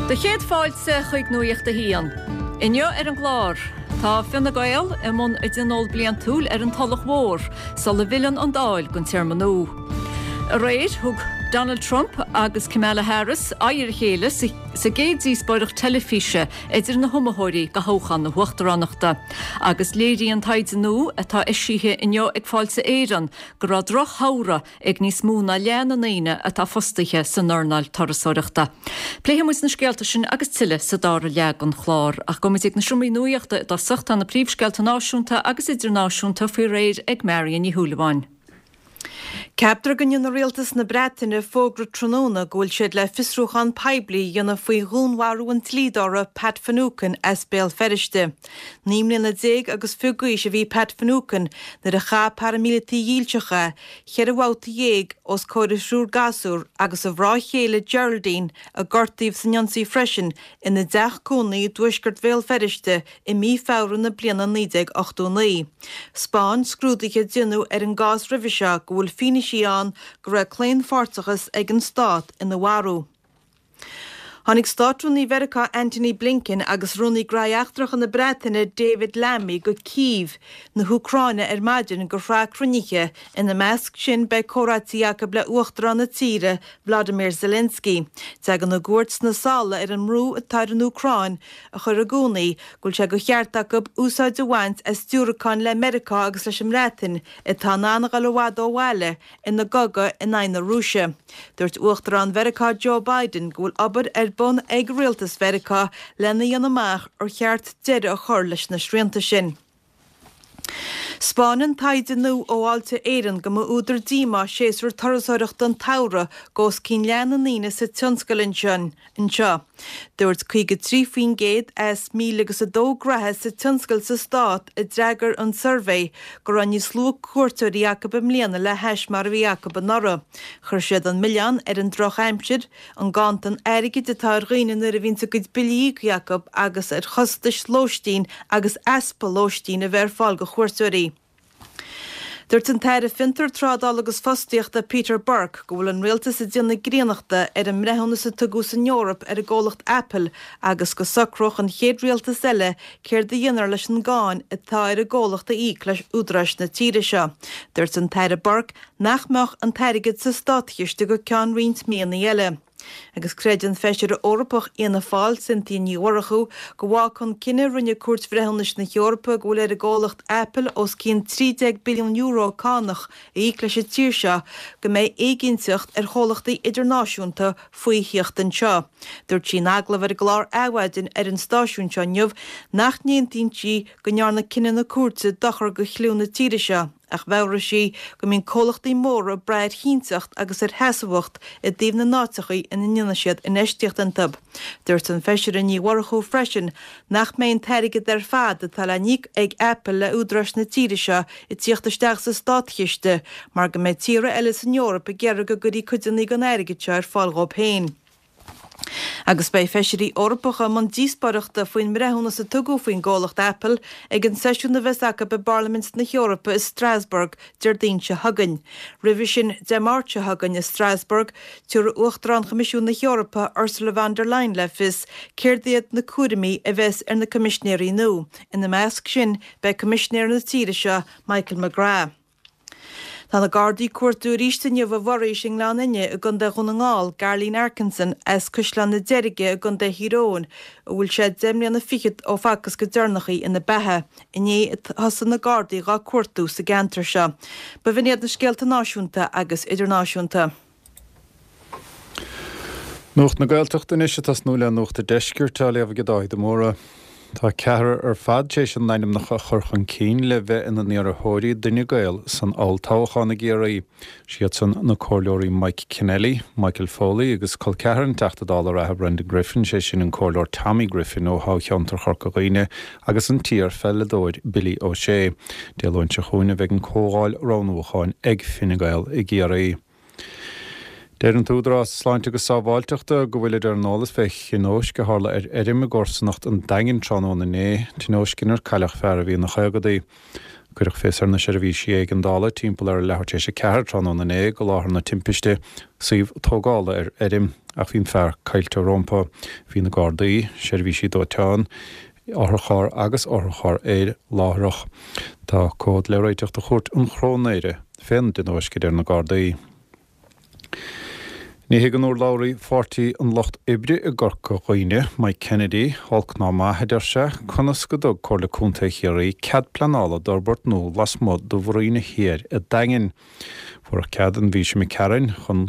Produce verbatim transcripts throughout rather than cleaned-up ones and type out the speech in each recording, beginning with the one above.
Do chéad fáilte chuig Nuacht a hAon. Inniu ar an gclár, Tá Fine Gael i mbun a dtionól bliantúil ar an Tulach Mhór, sula bhfilleann an Dáil don téarma nua. Aréir thug Donald Trump agus Kamala Harris aghaidh ar a chéile sa gcéad díospóireacht teilifíse idir na hiomaitheoirí do thoghchán na huachtaránachta. Agus léiríonn taighde nua atá eisithe inniu ag Fáilte Éireann go raibh drochshamhradh ag níos mó ná leath na ndaoine atá fostaithe san earnáil turasóireachta. Pléifidh muid na scéalta sin agus tuilleadh sa dara leath den chlár, ach gabhfaidh muid ag na seomraí nuachta i dtosach tá na príomhscéalta náisiúnta agus idirnáisiúnta faoi réir ag Marion Ní Shúilleabháin. Ceaptar go ndéanfaidh rialtas na Breataine fógra tráthnóna go bhfuil siad le fiosrúchán poiblí a dhéanamh faoi dhúnmharú an dlíodóra Pat Finucane as Béal Feirste. Naoi mbliana déag agus fiche d'aois a bhí Pat Finucane nuair a chaith paraimíleataigh dhílseacha ceithre bhabhta dhéag os comhair a thriúr gasúr agus a mhná chéile Geraldine a gortaíodh san ionsaí freisin ina dteach cónaí i dtuaisceart Bhéal Feirste i mí Feabhra na bliana naoi déag ochtó naoi. 'Spáin scrúduithe a déanadh ar an gcás roimhe seo go bhfuil fianaise ann go raibh claonpháirteachas ag an stát ina mharú. Tháinig Státrúnaí Mheiriceá Antony Blinken agus Rúnaí Gnóthaí Eachtracha na Breataine David Lammy go Cív na hÚcráine ar maidin do shraith cruinnithe. Ina measc sin beidh comhráití acu le Uachtarán na tíre Vladimir Zelensky. Tagann a gcuairt sna sála ar an mbrú atá ar an Úcráin a chur i gcónaí go bhfuil sé de cheart acu úsáid a bhaint as diúracáin le Meiriceá agus leis an mBreatain atá in ann a dhul i bhfad ó bhaile ina gcogadh in aghaidh na Rúise. Dúirt Uachtarán Mheiriceá Joe Biden go bhfuil obair ar bun ag rialtas Mheiriceá lena dhéanamh amach ar cheart deireadh a chur leis na srianta sin. 'Spáineann taighde nua ó Fháilte Éireann go mba údar díomá séasúr turasóireachta an tsamhraidh do os cionn leath na ndaoine sa tionscal anseo. Dúirt caoga trí faoin gcéad as míle agus a dó gnaithe sa tionscal sa stát a d'fhreagair an suirbhé go raibh níos lú cuairteoirí acu i mbliana le hais mar a bhí acu anuraidh. Chuir siad an milleán ar an drochaimsir, an ganntan airgid atá ar dhaoine nuair a bhíonn a gcuid billí íoctha acu agus ar chostais lóistín agus easpa lóistín a bheith ar fáil do chuairteoirí. Dúirt an tAire Fiontar, Trádála agus Fostaíochta Peter Burke go bhfuil an rialtas ag déanamh gránachta ar an mbreithiúnas a tugadh san Eoraip ar an gcomhlacht Apple agus go socródh an chéad rialtas eile céard a dhéanfar leis an gcáin atá ar an gcomhlacht a íoc leis údaráis na tíre seo. Dúirt an tAire Burke nach mbeadh an t-airgead sa státchiste go ceann roinnt míonna eile. Agus creideann feisire Eorpach Fhianna Fáil Cynthia Ní Mhurchú go bhfágfaidh an cinneadh a rinne Cúirt Bhreithiúnais na hEorpa go bhfuil ar an gcomhlacht Apple os cionn trí déag billiún euro cánach a íoc leis an tír seo go mbeidh éiginnteacht ar chomhlachtaí idirnáisiúnta faoi theacht anseo. Dúirt sí in agallamh ar an gclár Adhmhaidin ar an stáisiún seo inniu nach n-aontaíonn sí go ndearna cinneadh na cúirte dochar do chliú na tíre seo. Ach mheabhraigh sí go mbíonn comhlachtaí móra ag brath ar chinnteacht agus ar sheasmhacht i dtaobh na n-áiteachaí ina ndéanann siad infheistíocht iontu. Dúirt an Feisire Ní Mhurchú freisin nach mbeidh an t-airgead ar fad atá le n-íoc ag Apple le údaráis na tíre seo ag tíocht isteach sa státchiste mar go mbeidh tíortha eile san Eoraip ag iarraidh go gcuirfí cuideanna den airgead seo ar fáil dhóibh féin. Agus beidh feisirí Eorpacha i mbun díospóireachta faoin mbreithiúnas a tugadh faoin gcomhlacht Apple ag an seisiún a bheas acu i bParlaimint na hEorpa i Strasbourg Déardaoin seo chugainn. Roimhe sin, Dé Máirt seo chugainn i Strasbourg, tabharfaidh Uachtarán Choimisiún na hEorpa Ursula von der Leyen le fios céard iad na cúraimí a bheas ar na coimisinéirí nua. Ina measc sin, beidh Coimisinéir na tíre seo, Michael McGrath. Tá na Gardaí ag cuartú arís inniu i bhForaois i nGleann Fhinne i gContae Dhún na nGall, Garlene Arkinson as Caisleán na Deirge i gContae Thír Eoghain, a bhfuil sé deich mbliana fichead ó facthas go deireanach í ina beatha. Inné a thosaigh na Gardaí dhá cuartú sa gceantar seo. B'in iad na scéalta náisiúnta agus idirnáisiúnta. Nuacht na Gaeltachta anois ag tosnú le Nuacht an Deiscirt á léamh ag Dáithí de Mórdha. Tá ceathrar ar fad tar éis a n-ainmneacha a chur chun cinn le bheith ina n-iarrthóirí d'Fhine Gael san olltoghchán i gCiarraí. Siadsan na comhairleoirí Mike Kennelly, Michael Foley agus col ceathar an Teachta Dála reatha Brendan Griffin, sé sin an comhairleoir Tommy Griffin ó thoghcheantar Chorca Dhuibhne agus an t-iar-pheileadóir Billy O'Shea. Dé Luain seo chugainn a bheidh an comhdháil roghnúcháin ag Fine Gael i gCiarraí. Deir an tÚdarás Sláinte agus Sábháilteachta go bhfuilid ar an eolas fé thionóisc a tharla ar fheirm i gcomharsanacht an Daingin tráthnóna inné, tionóisc inar cailleadh fear a bhí ina chaogadaí. Cuireadh fios ar na seirbhísí éigeandála timpeall ar a leathuair tar éis a ceathair tráthnóna inné go láthair na timpiste, suíomh tógála ar fheirm, ach bhí an fear caillte rompu. Bhí na Gardaí, seirbhísí dóiteáin, otharcharr agus otharcharr aeir láithreach. Tá comhad le réiteach do Chúirt an Chróinéara fén dtionóisc, a deir na Gardaí. Ní thuigeann urlabhraí Pháirtí an Lucht Oibre i gCorca Dhuibhne, Mike Kennedy, olc ná maith, a deir sé, conas go dtug Comhairle Contae Chiarraí cead pleanála d'fhorbairt nua lasmuigh de Mhuiríne Thiar a' Daingin. Fuarthas cead an mhí seo imigh tharainn chun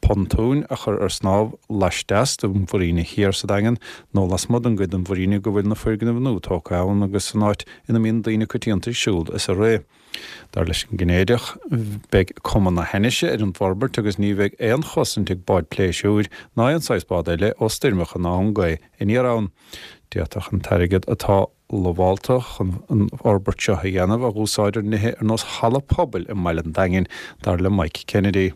pontúin a chur ar snámh laisteas de Mhuiríne Thiar sa Daingean nó lasmuigh den gcuid den mhuiríne go bhfuil na foirgnimh nua tógtha ann agus san áit ina mbíonn daoine coitianta ag siúl is ag rith. Dar leis an gCinnéideach, beidh cuma na hainnise ar an bhforbairt agus ní bheidh aon chosaint ag báid pléisiúir ná aon saghas bád eile ó stoirmeacha ná ón ngaoth aniar ann. D'fhéadfadh an t-airgead atá lamhálta chun an fhorbairt seo a dhéanamh a dh'úsáid ar nithe ar nós halla pobail i mbaile an Daingin, dar le Mike Kennedy.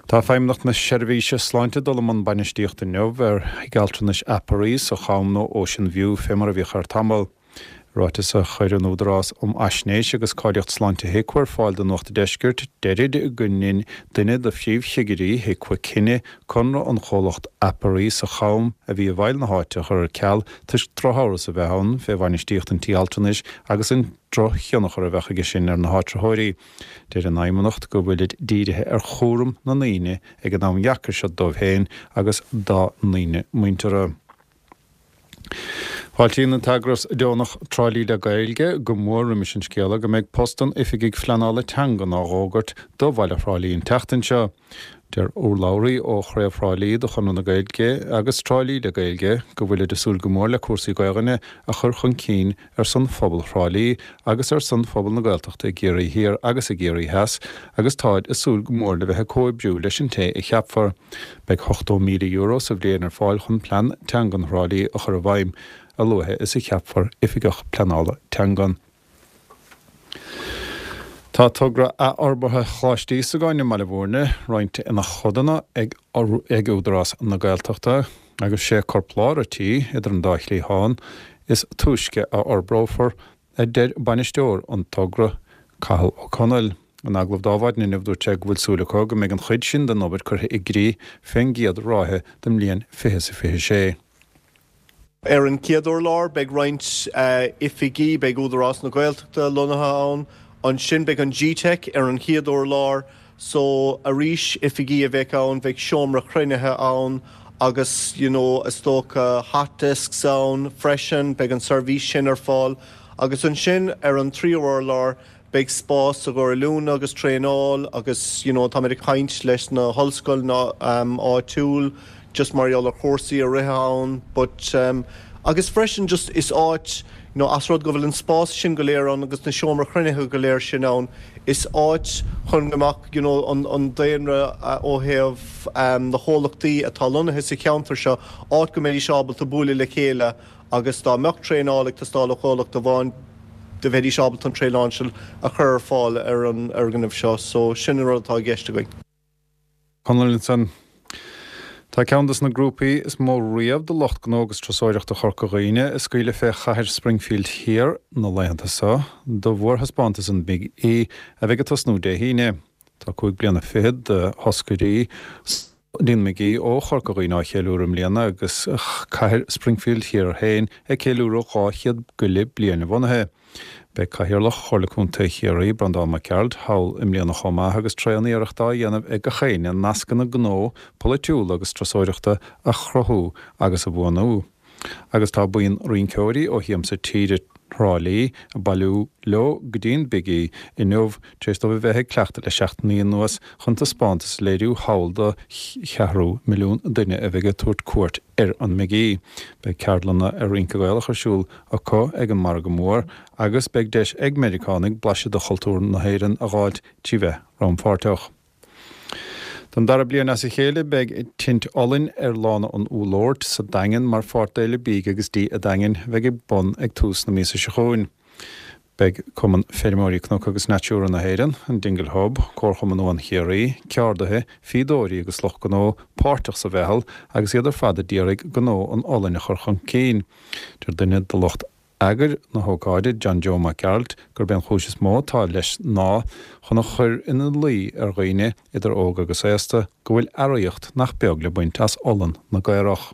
Tá Feidhmeannacht na Seirbhíse Sláinte ag dul i mbun bainistíochta inniu ar Thigh Altranais Aparri sa Cham nó Ocean View fé mar a bhíodh air tamall. I ráiteas a chuir an Údarás um Fhaisnéis agus Cáilíocht Sláinte HIQA ar fáil do Nuacht an Deiscirt, deirid go ndein duine de phríomhchigirí HIQA cinneadh conradh an chomhlacht Aparri sa Cham a bhí i bhfeighil na háite a chur ar ceal toisc drochamhras a bheith ann fé bhainistíocht an tí altranais agus an drochthionchar a bheadh aige sin ar na háitritheoirí. Deir an Fheidhmeannacht go bhfuilid dírithe ar chúram na ndaoine ag an am dheacair seo dóibh féin agus dá ndaoine muinteartha. Fáiltíonn an t-eagras deonach Trá Lí le Gaeilge go mór roimis an scéala go mbeidh post an Oifigigh Phleanála Teangan á dh'fhógairt do bhaile Thrá Lí an tseachtain seo. Deir urlabhraí ó Chraobh Thrá Lí de Chonradh na Gaeilge agus Trá Lí le Gaeilge go bhfuilid ag súil go mór le cúrsaí Gaelainne a chur chun cinn ar son phobal Thrá Lí agus ar son phobal na Gaeltachta i gCiarraí Thiar agus i gCiarraí Theas agus táid ag súil go mór le bheith ag comhoibriú leis an té a cheapfar. Beidh ochtó míle euro sa bhliain ar fáil chun plean teangan Thrá Lí a chur i bhfeidhm a luaithe is a cheapfar Oifigeach Pleanála Teangan. Tá togra athfhorbartha Choláiste Íosagáin i mBaile Bhúirne roinnte ina chodanna ag ag Údarás na Gaeltachta agus sé corplár an tí idir an dá chliathán is túisce a fhorbrófar, a deir bainisteoir an togra, Cathal Ó Conaill. In agallamh do Adhmhaidin inniu dúirt sé go bhfuil súil acu go mbeidh an chuid sin den obair curtha i gcrích fén gcéad ráithe den mbliain fiche is a fiche sé. Ar an chéad urlár beidh roinnt oifigí, beidh Údarás na Gaeltachta lonnaithe ann, ansin beidh an G-Teic ar an chéad urlár so arís oifigí a bheidh ann, bheidh seomra cruinnithe ann agus you know is dócha hot desks ann freisin, beidh an seirbhís sin ar fáil agus ansin ar an tríú urlár Beidh spás i gcomhair oiliúna agus traenáil agus you know táimid ag caint leis na hollscoileanna áitiúil just mar gheall ar chúrsaí a rith ann but agus freisin just is áit you know as rud go bhfuil an spás sin go léir ann agus na seomra chruinnithe go léir sin ann is áit chun go mbeadh you know an an daonra ó thaobh na chomhlachtaí atá lonnaithe sa cheantar seo áit go mbeidís ábalta bualadh le chéile agus dá mbeadh traenáil ag teastáil ó chomhlacht amháin do bheidís ábalta an traenáil sin a chur ar fáil ar an fhoirgneamh seo. So sin an rud atá i gceist againn. Conall ansan. Tá ceann des na grúpaí is mó riamh de lucht gnó agus turasóireachta Chorca Dhuibhne ag scaoileadh fé chathair Springfield Thiar na laethanta seo do mhórthaispeántas an Big E a bheidh ag tosnú Dé hAoine. Tá cúig bliana fichead de thoscairí Dean McGee ó Chorca Dhuibhne á cheiliúradh i mbliana agus cathair Springfield Thiar féin ag ceiliúradh dhá chéad go leith bliain a bhunaithe. Beidh Cathaoirleach Chomhairle Contae Chiarraí, Breandán Mac Gearailt, thall i mbliana chomh maith agus tréan-iarracht á dhéanamh ag gach éinne nascanna gnó, polaitiúla agus turasóireachta a chruthú agus a bhuanú. Agus tá buíon rinceoirí ó Shiamsa Tíre Thrá Lí ag bailiú leo go dtí'n Big E inniu tar éis dóibh a bheith ag cleachtadh le seachtainí anuas chun taispeántas a léiriú thall do cheathrú milliún duine a bheidh ag tabhairt cuairt ar an mBig E. Beidh ceardlanna ar rince Gaelach ar siúl acu ag an Margadh Mór agus beidh deis ag Meiriceánaigh blaiseadh de chultúr na hÉireann a dh'fháilt trí bheith rannpháirteach. Don dara bliain as a chéile beidh tint olainn ar Lána an Úllóirt sa Daingean mar pháirt d'Fhéile Bídh agus Dí a' Daingin a bheidh ag bun ag tús na míosa seo chugainn. Beidh Cumann Feirmeoirí Cnoc agus Natura na hÉireann, an Dingle Hub, Comharchumann Uan Chiarraí, ceardaithe, fíodóirí agus lucht gnó páirteach sa mheitheal agus iad ar fad a d'iarraidh gnó an olainn a chur chun cinn. Deir duine de lucht eagair na hócáide, John Joe Mac Gearailt, gurb é an chúis is mó atá leis ná chun a chur ina luí ar dhaoine, idir óg agus aosta, go bhfuil earraíocht nach beag le baint as olann na gcaorach.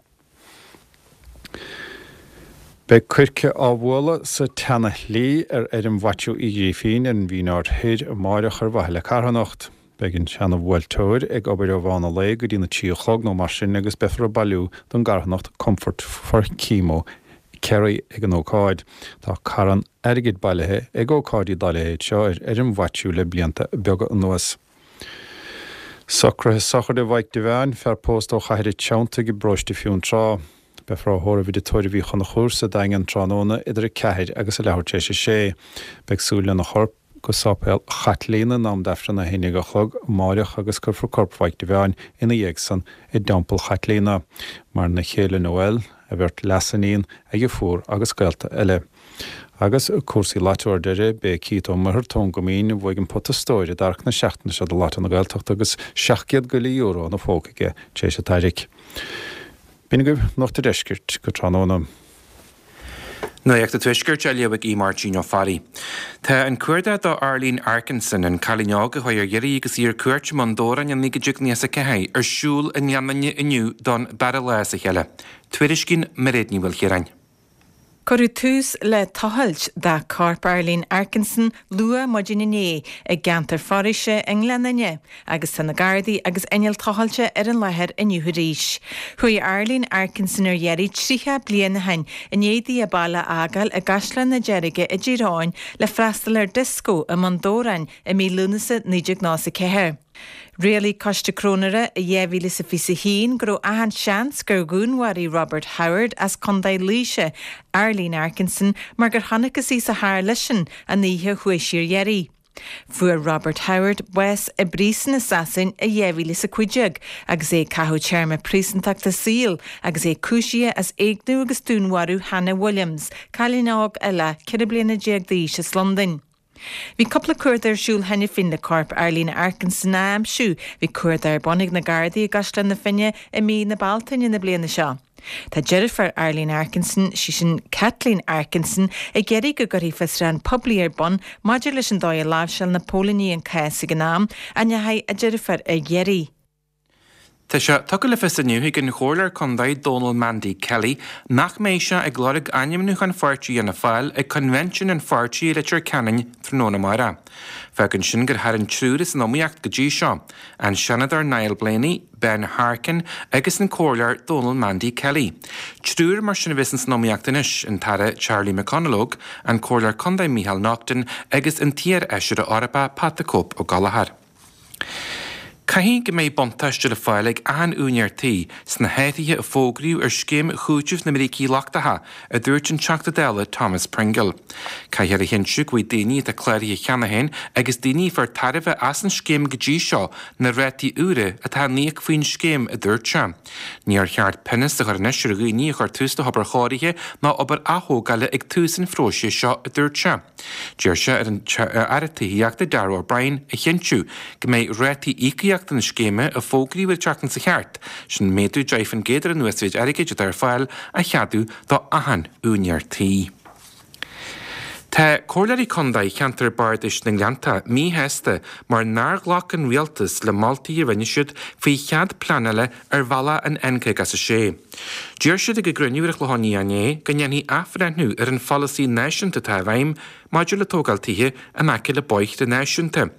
Beidh coirce á bhualadh sa tSeana-Shlí ar fheirm Mhaitiú Uí Ghrífín ar an Mhín Aird Thoir amáireach ar mhaithe le carthanacht. Beidh an seana-bhuailteoir ag obair ó mheán an lae go dtí'n a trí a chlog nó mar sin agus beifear ag bailiú don gcarthanacht Comfort for Chemo Kerry ag an ócáid. Tá carn airgid bailithe ag ócáidí dá leithéid seo ar fheirm Mhaitiú le blianta beaga anuas. Socruithe sochraide Mhaidhc Devane, fear pósta ó Chathair an Treanntaigh i bparóiste Fionntrá. Beifear á thórramh i dTigh Tórraimh Uí Chonchúir sa Daingean tráthnóna idir a ceathair agus a leathuair tar éis a sé. Beidh súil lena chorp go Sáipéal Chaitlíona in am d'Aifreann a haon déag a chlog amáireach agus cuirfear corp Mhaidhc Devane ina dhiaidh san i dTeampall Chaitlíona. Maireann a chéile Noel, a bheirt leasiníon, a dheirfiúr agus gaolta eile. Agus cúrsaí Lotto ar deireadh, b'é Keith Ó Muircheartaigh ón gCoimín a bhuaigh an pota stóir i dtarrac na seachtaine seo do Lotto na Gaeltachta agus seacht gcéad go leith euro ina phóca aige tar éis an tarraic. B'in agaibh Nuacht an Deiscirt go tráthnóna. Nuacht an Tuaiscirt á léamh ag Aodh Máirtín Ó Fearraigh. Tá an cuardach do Arlene Arkinson, an cailín óg a chuaigh ar iarraidh agus í ar cuairt i mBun Dobhráin i naoi déag nócha a ceathair, ar siúl i nGleann Fhinne inniu don dara lá as a chéile. Tuairiscíonn Mairéad Ní Mhaoilchiaráin. Cuireadh tús le tochailt de chorp Arlene Arkinson luath maidin inné i gceantar foraoise i nGleann Fhinne agus tá na Gardaí agus inneall tochailte ar an láthair inniu arís. Chuaigh Arlene Arkinson ar iarraidh tríocha bliain ó shin i ndiaidh di a baile a fhágáil i gCaisleán na Deirge i dTír Eoghain le freastal ar dioscó i mBun Dobhráin i mí Lúnasa naoi déag nócha a ceathair. Rialaigh Coiste Cróinéara i dhá mhíle is a fiche a haon go raibh achan seans gur dhúnmharaigh Robert Howard as Contae Laoise Arlene Arkinson mar gur chonacthas í sa charr leisean an oíche a chuaigh sí ar iarraidh. Fuair Robert Howard bás i bpríosún i Sasain i dhá mhíle is a cúig déag agus é ag caitheamh téarma príosúntachta saoil agus é cúisithe as éigniú agus dúnmharú Hannah Williams, cailín óg eile ceithre bliana déag d'aois as Londain. Bhí cúpla cuardach ar siúl cheana féin le corp Arlene Arkinson a aimsiú. Bhí cuardach ar bun ag na Gardaí i gCaisleán na Finne i mí na Bealtaine na bliana seo. Tá deirfiúr Arlene Arkinson, sí sin Kathleen Arkinson, ag iarraidh go gcuirfí fiosrúchán poiblí ar bun maidir leis an dóigh a láimhseáil na póilíní an cás ag an am a ndeachaigh a deirfiúr ar iarraidh. Tá sé tugtha le fios inniu ag an Chomhairleoir Contae Dónal Mandy Kelly nach mbeidh sé ag lorg ainmniúchán pháirtí Fhianna Fáil ag coinbhinsiún an pháirtí i Leitir Ceanainn tráthnóna amárach. Fágann sin gur tharraing triúr as an iomaíocht go dtí seo, an Seanadóir Niall Blaney, Ben Harkin agus an Comhairleoir Dónal Mandy Kelly. Triúr mar sin a bheas san iomaíocht anois, an tAire Charlie McConalogue, an Comhairleoir Contae Micheál Naughton agus an t-iar-fheisire Eorpach Pat the Cope Ó Gallchóir. Caithfidh go mbeidh buntáiste le fáil ag achan úinéir tí sna hathruithe a fógraíodh ar scéim chúitimh na mbrící lochtacha, a dúirt an Teachta Dála Thomas Pringle. Caithfear a chinntiú go bhfaighidh daoine atá cláraithe cheana féin agus daoine a fuair tairbhe as an scéim go dtí seo na rátaí úra atá á n-íoc faoin scéim, a dúirt sé. Níor cheart pionós a chur anois ar dhaoine a chuir tús le hobair chóirithe ná obair athógála ag tús an phróisis seo, a dúirt sé. D'iarr sé ar an Aire Tithíochta Darragh O'Brien a chinntiú go mbeidh rátaí íocaíochta na scéime a fógraíodh an tseachtain seo thart, sin méadú deich faoin gcéad ar an uasmhéid airgid atá ar fáil, a cheadú do achan úinéir tí. Tá comhairleoirí contae cheantar bardais na nGleannta míshásta mar nár ghlac an rialtas le moltaí a rinne siad faoi chead pleanála ar bhealach an N caoga is a sé. D'iarr siad ag a gcruinniú ar an Chlochán Liath inné go ndéanfaí athbhreithniú ar an pholasaí náisiúnta atá i bhfeidhm maidir le tógáil tithe in aice le bóithre náisiúnta.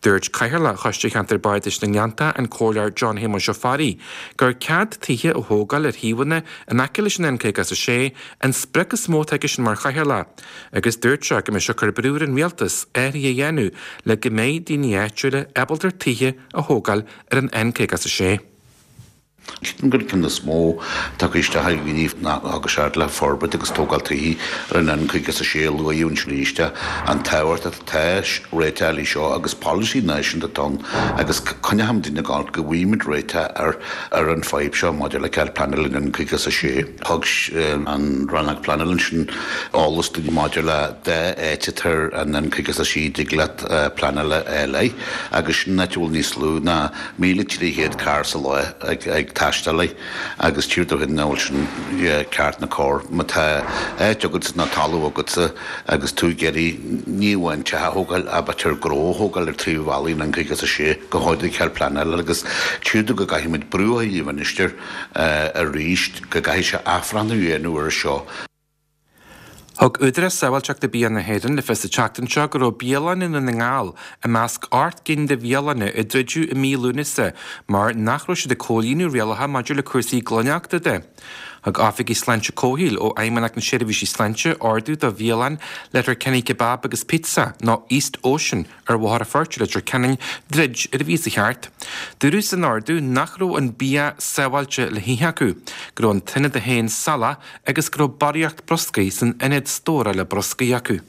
Dúirt Cathaoirleach Choiste Cheantar Bardais na nGleannta, an Comhairleoir John Shéamuis Ó Fearraigh, gur cead tithe a thógáil ar shuíomhanna in aice leis an N caoga is a sé an sprioc is mó atá aigesean mar chathaoirleach, agus dúirt sé go mbeidh sé ag cur brú ar an rialtas athruithe a dhéanamh le go mbeidh daoine áitiúla ábalta tithe a thógáil ar an N caoga is a sé. Ceapaim gur ceann is mó tagtha isteach ag gníomh ná agus seard le forbairt agus tógáil tithe ar an N caoga is a sé a luaíodh ansin arís an tábhacht atá réiteach leis seo agus polasaí náisiúnta atá ann agus coinneochaimid daoine ag gabháil go bhfaighimid réiteach ar ar an fadhb seo maidir le cead pleanála an N caoga is a sé. Thug an rannóg pleanála ansin eolas dúinn maidir le dhá áit atá ar an N caoga is a sé dtig leat pleanáil a fháil agus sin áit a bhfuil níos lú ná míle trí chéad carr sa lá ag ag taistealaí agus tír do nach bhfuil sin ceart ná cóir. Má tá áit agatsa ná talamh agatsa agus tú ag iarraidh ní amháin teach a thógáil ach b'fhéidir gnó a thógáil ar taobh bhealaigh an caoga is a sé go háirithe cead pleanála agus tír go gcaithfimid brú a chur ar an Ministir arís go gcaithfidh sé athbhreithniú a dhéanamh ar seo. Thug Údarás Sábháilteachta Bia na hÉireann le fios an tseachtain seo go raibh bialanna i nDún na nGall i measc ocht gcinn de bhialanna a druideadh i mí Lúnasa mar nach raibh siad ag comhlíonadh rialacha maidir le cúrsaí glaineachta de. Thug Oifigigh Sláinte Comhshaoil ó Fheidhmeannacht na Seirbhísí Sláinte ordú do bhialann Letterkenny Kebab agus Pizza nó East Ocean ar Bhóthar an Phoirt i Leitir Ceanainn druid ar an mhí sa cheart. Dúradh san ordú nach raibh an bia sábháilte le hithe acu, go raibh an t-ionad féin salach agus go raibh barraíocht bruscair san ionad stórála bruscair acu.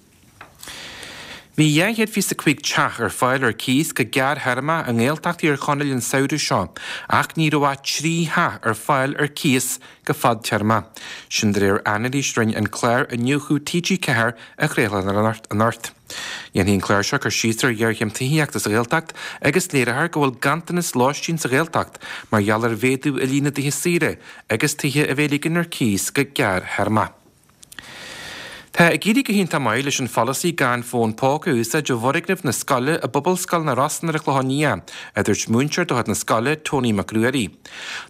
Bhí dhá chéad fiche a cúig teach ar fáil ar cíos go gearrthéarmach i nGaeltacht Thír Chonaill an samhradh seo, ach ní raibh ach trí theach ar fáil ar cíos go fadtéarma. Sin de réir anailís a rinne an clár Iniúchadh T G ceathair a chraoladh anocht. Dhéanfaidh an clár seo cur síos ar ghéarchéim tithíochta sa Ghaeltacht agus léireofar go bhfuil ganntanas lóistín sa Ghaeltacht mar gheall ar mhéadú i líon na dtithe saoire agus tithe a bheith ag ligean ar cíos go gearrthéarma. Tá ag éirí go hiontach maith leis an pholasaí gan fón póca a úsáid i bhfoirgneamh na scoile i bPobalscoil na Rosann ar an Chlochán Liath, a dúirt múinteoir de chuid na scoile, Tony Mac Ruairí.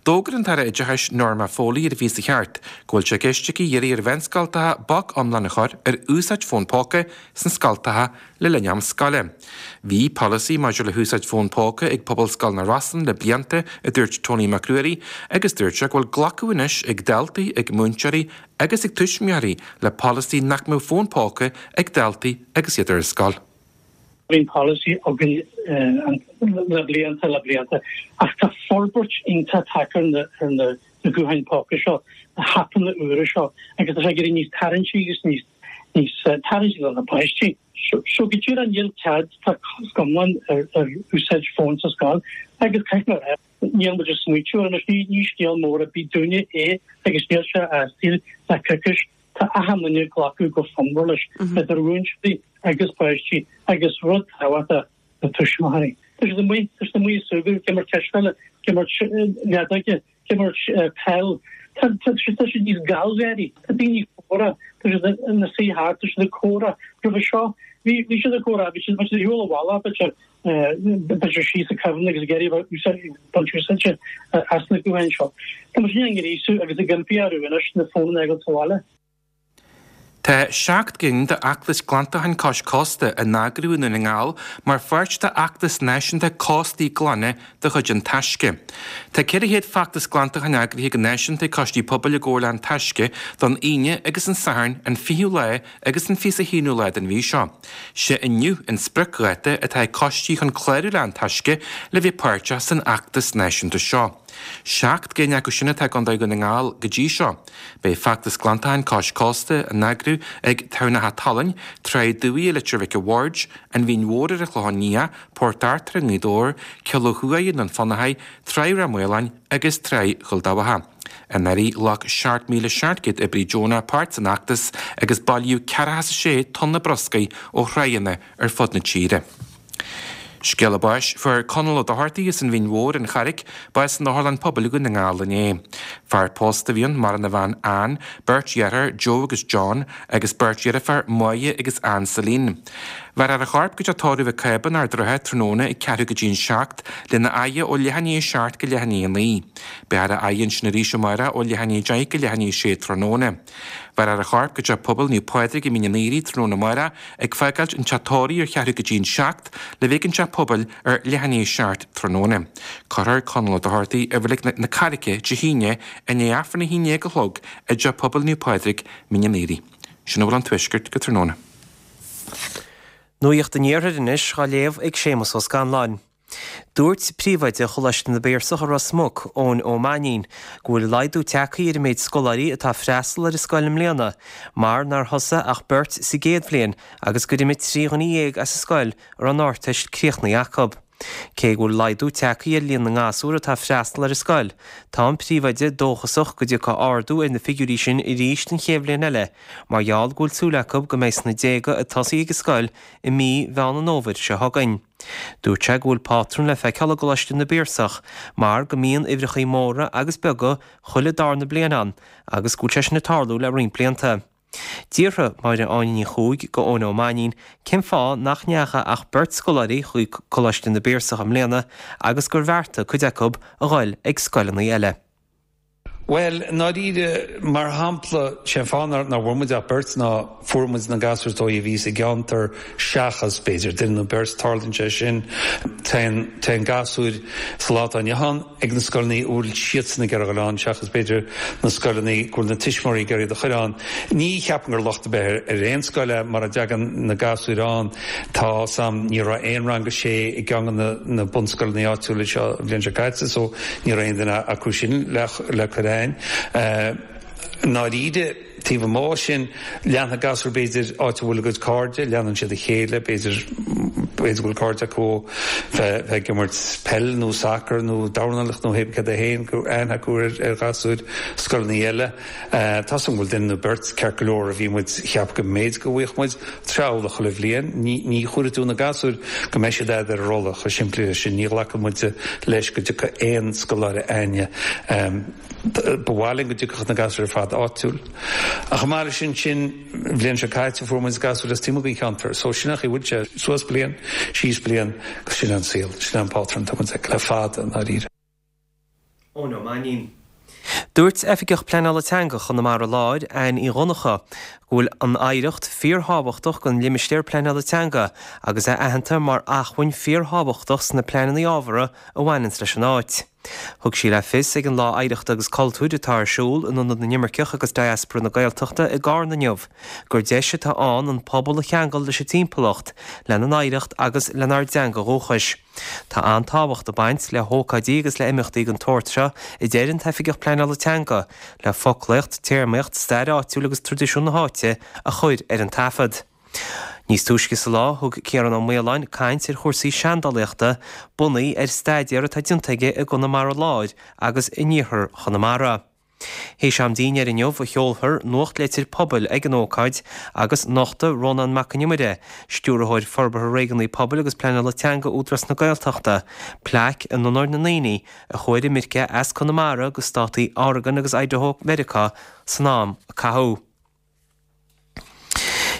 D'fhógair an tAire Oideachais Norma Foley ar an bhfiche is a ceathair go bhfuil sé i gceist aici iarraidh ar mheánscoltacha bac iomlán a chur ar úsáid fón póca sna scoltacha le linn am scoile. Bhí polasaí maidir le húsáid fón póca ag Pobalscoil na Rosann le blianta, a dúirt Tony Mac Ruairí, agus dúirt sé go bhfuil glacadh anois ag daltaí, ag múinteoirí agus ag tuismitheoirí le polasaí nach mbeadh fón póca ag daltaí agus iad ar scoil. Bhí polasaí againn le blianta le blianta, ach tá forbairt iontach tagtha ar na gutháin póca seo, na haipeanna úra seo, agus tá sé ag éirí níos tarraingtí agus níos níos tarraingtí do na páistí. So go díreach níl cead, tá cosc iomlán ar ar úsáid fón sa scoil agus caithfidh mé a rá, níl muid ag smaoitiú air anois, ní ní scéal mór ar bith dúinne é agus níl sé as saol le coicís. Tá achan duine ag glacadh go fonnmhar leis, idir mhúinteoirí agus páistí agus rud tábhachtach na tuismitheoirí. Tá siad amuigh, tá siad amuigh ag súgradh, ag imirt cispheile, ag imirt leadóige, ag imirt peil. Tá tá tá siad níos gallgháirí, tá daoine ag comhrá, tá siad ina suí thart, tá siad ag comhrá. Roimhe seo, bhí bhí siad ag comhrá, bhí siad bhí siad ar shiúl abhaile, b'fhéidir b'fhéidir síos ag Kevin agus ag iarraidh a bheith baint úsáide as na gutháin seo. Tá muid ag gríosú agus ag impí orthu anois na fóin a fhágáil sa bhaile. Tá seacht gcinn d'fheachtais glantacháin cois cósta á n-eagrú i nDún na nGall mar pháirt d'fheachtas náisiúnta Cóstaí Glana de chuid An Taisce. Tá ceithre chéad feachtas glantacháin eagraithe go náisiúnta ag coistí pobail i gcomhar le An Taisce don Aoine agus an Satharn an fichiú lá agus an fiche a haonú lá den mhí seo. Sé inniu an spriocdháta atá ag coistí chun clárú le An Taisce le bheith páirteach san fheachtas náisiúnta seo. Seacht gcinn acu sin atá i gContae Dhún na nGall go dtí seo. Beidh feachtas glantacháin cois cósta á n-eagrú ag Tamhnacha Talainn, Tráigh Dubhaigh i Leitir Mhic a' Bhaird, An Mhín Mhór ar an Chlochán Liath, Port Arthur i nGaoth Dobhair, Cill Ó Thuaidh i nDún Fionnachaidh, Tráigh Ráth Maoláin agus Tráigh Chúil Dabhcha. Anuraidh ghlac seacht míle seacht gcéad oibrí deonach páirt san fheachtas agus bailíodh ceathracha is a sé tonna bruscair ó thránna ar fud na tíre. Scéala báis, Fuair Conall Ó Dochartaigh as an Mhín Mhór, an Charraic, bás in Otharlann Pobail Dhún na nGall inné. Fear pósta a bhí ann, maireann a bhean Ann, beirt dheartháir, Joe agus John, agus beirt dheirfiúr, Máire agus Ann Celine. Bheirfear a chorp go dtí tórramh Mhic Cába in Ard an Rátha tráthnóna ag ceathrú go dtí an seacht, lena fhaire ó leath i ndiaidh a seacht go leath i ndiaidh a naoi. Beifear á fhaire ansin arís amárach ó leath i ndiaidh a deich go leath i ndiaidh a sé tráthnóna. Bheirfear a chorp go dtí Pobail Naomh Pádraig i Mín an Aoire tráthnóna amárach, ag fágáilt an teach tórraimh ar cheathrú go dtí an seacht, le bheith ag an teach pobail ar leath i ndiaidh a seacht tráthnóna. Cuirfear Conall Ó Dochartaigh i Reilig na Carraice Dé hAoine i ndiaidh Aifreann a haon déag a chlog i dteach pobail Naomh Pádraig, Mín an Aoire. Sin a bhfuil ón Tuaisceart go tráthnóna. Nuacht an Iarthair anois á léamh ag Séamus Ó Scanláin. Dúirt príomhoide Choláiste na bPiarsach i Ros Muc, Eoin Ó Mainnín, go bhfuil laghdú tagtha ar an méid scoláirí atá ag freastal ar an scoil i mbliana, mar nár thosaigh ach beirt sa gcéad bhliain agus gur imigh trí dhuine dhéag as an scoil a raibh an Ardteist críochnaithe acu. Cé go bhfuil laghdú tagtha ar líon na ngasúr atá ag freastal ar an scoil, tá an príomhoide dóchasach go dtiocfaidh ardú ar na figiúirí sin arís an chéad bhliain eile, mar gheall go bhfuil súil acu go mbeidh sna déaga ag tosaí ag an scoil i mí Mheán an Fhómhair seo chugainn. Dúirt sé go bhfuil pátrún le feiceáil i gColáiste na bPiarsach mar go mbíonn uimhreachaí móra agus beaga chuile darna bliain ann agus go bhfuil sé sin ag tarlú le roinnt blianta. D'fhiafraigh Máire Áine Ní Chuaig go Eoin Ó Mainnín cén fáth nach ndeachaigh ach beirt scoláirí chuig Coláiste na bPiarsach i mbliana agus gur bheartaigh cuid acu a dhul ag scoileanna eile. Bhuel, i ndáiríre, mar shampla, sé an fáth nár bhfuair muid ach beirt ná fuair muid na gasúir is dóigh a bhí sa gceantar seachas, b'fhéidir, duine nó beirt, tarlaíonn sé sin. Téann, téann gasúir sa lá atá inniu ann ag na scoileanna a bhfuil siadsan ag iarraidh a dhul ann seachas, b'fhéidir, na scoileanna go bhfuil na tuismitheoirí ag iarraidh iad a chur ann. Ní cheapaim gur locht ar bith ar aon scoil é mar a dtagann na gasúir ann. Tá a fhios a'm, ní raibh aon rang a sé i gceann de na bunscoileanna áitiúla seo an bhliain seo caite so ní raibh aon duine acu sin le le cur a'inn. I ndáiríre, taobh amuigh de sin, leanfaidh gasúir b'fhéidir áit a bhfuil a gcuid cairde, leanann siad a chéile, b'fhéidir, b'fhéidir go bhfuil cairde acu ó bheith ag imirt peil nó sacar nó dornálaíocht nó hé céard é féin, go raibh aithne acu ar ar ghasúir scoileanna eile. Tá a fhios a'm go bhfuil duine nó beirt ceart go leor a bhí muid, cheap go mb'fhéidir go bhfaigheadh muid treabhadh chuile bhliain. Ní ní chuirfidh tú na gasúir go mbeidh siad a'd ar an rolla, chomh simplí leis sin. Ní ghlacann muid leis go dtiocfaidh aon scoláire a'inne. Ba mhaith linn go dtiocfadh na gasúir ar fad áitiúil. Ach chomh maith leis sin sin, an bhliain seo caite fuair muid gasúir as taobh amuigh den cheantar. So sin an chaoi a bhfuil sé, suas bliain, síos bliain, agus sin an saol, sin an pátrún atá muid ag le fada, i ndáiríre. Eoin Ó Mainnín. Dúirt Oifigeach Pleanála Teanga Chonamara Láir, Anne Uí Dhonncha, go bhfuil an oidhreacht fíorthábhachtach don limistéar pleanála teanga agus é aitheanta mar acmhainn fíorthábhachtach sna pleananna ábhartha a bhaineanns leis an áit. Thug sí le fios ag an Lá Oidhreachta agus Cultúir atá ar siúl in Ionad na nImirceach agus Diaspora na Gaeltachta i gCarna inniu gur deis atá ann an pobal a cheangal leis an timpeallacht, lena n-oidhreacht agus lenár dteanga dhúchais. Tá an-tábhacht ag baint le hócáidí agus le imeachtaí den tsórt seo, a deir an tOifigeach Pleanála Teanga, le foclaíocht, téarmaíocht, stair áitiúil agus traidisiún na háite a chur ar an taifead. Níos túisce sa lá, thug Ciarán Ó Maoláin caint ar chúrsaí seandálaíochta, bunaithe ar staidéar atá déanta aige i gConamara Láir agus in iarthar Chonamara. Théis am dinnéir inniu a sheolfar nuachtlitir pobail ag an ócáid agus nochtfaidh Rónán Mac Con Iomaire, Stiúrthóir Forbartha Réigiúnaí Pobail agus Pleanála Teanga Údarás na Gaeltachta, plaic in onóir na ndaoine a chuaigh ar imirce as Conamara go státaí Oregon agus Idaho Mheiriceá san am a caitheadh.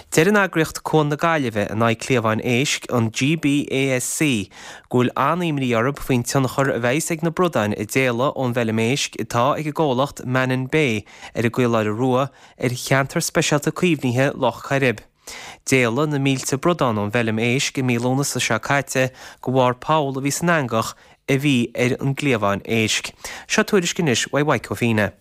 Deir an eagraíocht Cuan na Gaillimhe in aghaidh cliabháin éisc, an GBASC, go bhfuil an-imní orthu faoin tionchar a bheas ag na bradáin a d'éalaigh ón bhfeilm éisc atá ag an gcomhlacht Mannin Bay ar an gCaoláire Rua ar cheantar speisialta caomhnaithe Loch Coirib. D'éalaigh na mílte bradán ón bhfeilm éisc i mí Lúnasa seo caite de bharr poll a bhí san eangach a bhí ar an gcliabhán éisc. Seo tuairisc anois uaidh Mhaidhc Ó Fianna.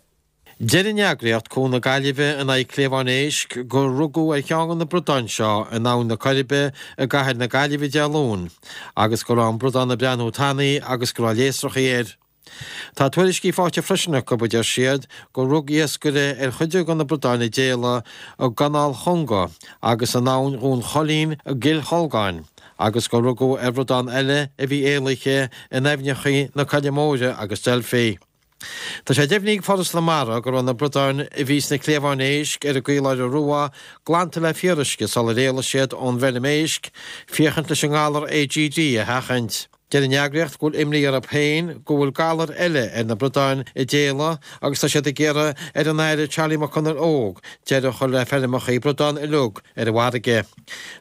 Deir an eagraíocht Cuan na Gaillimhe in aghaidh Cliabhán Éisc gur rugadh ar cheann de na bradáin seo in Abhainn na Coiribe i gcathair na Gaillimhe Dé Luain agus go raibh an bradán ag breathnú tanaí agus go raibh léasrachaí air. Tá tuairiscí faighte freisin acu, a deir siad, gur rug iascaire ar chuid de na bradáin a d'éalaigh i gCanáil Chonga agus in Abhainn Dhún Choilín i gCill Cholgáin agus gur rugadh ar bhradán eile a bhí éalaithe in aibhneacha na Coille Móire agus Delphi. Tá sé deimhnithe ag Foras na Mara go raibh na bradáin a bhí sna cliabháin éisc ar an gCaoláire Rua glanta le fíoruisce sular éalaigh siad ón bhfeilm éisc, féachaint leis an ngalar AGD a sheachaint. Deir an eagraíocht go bhfuil imní orthu féin go bhfuil galar eile ar na bradáin a d'éalaigh agus tá siad ag iarraidh ar an Aire Charlie McConalogue deireadh a chur le feirmeacha bradán uilig ar an bhfarraige.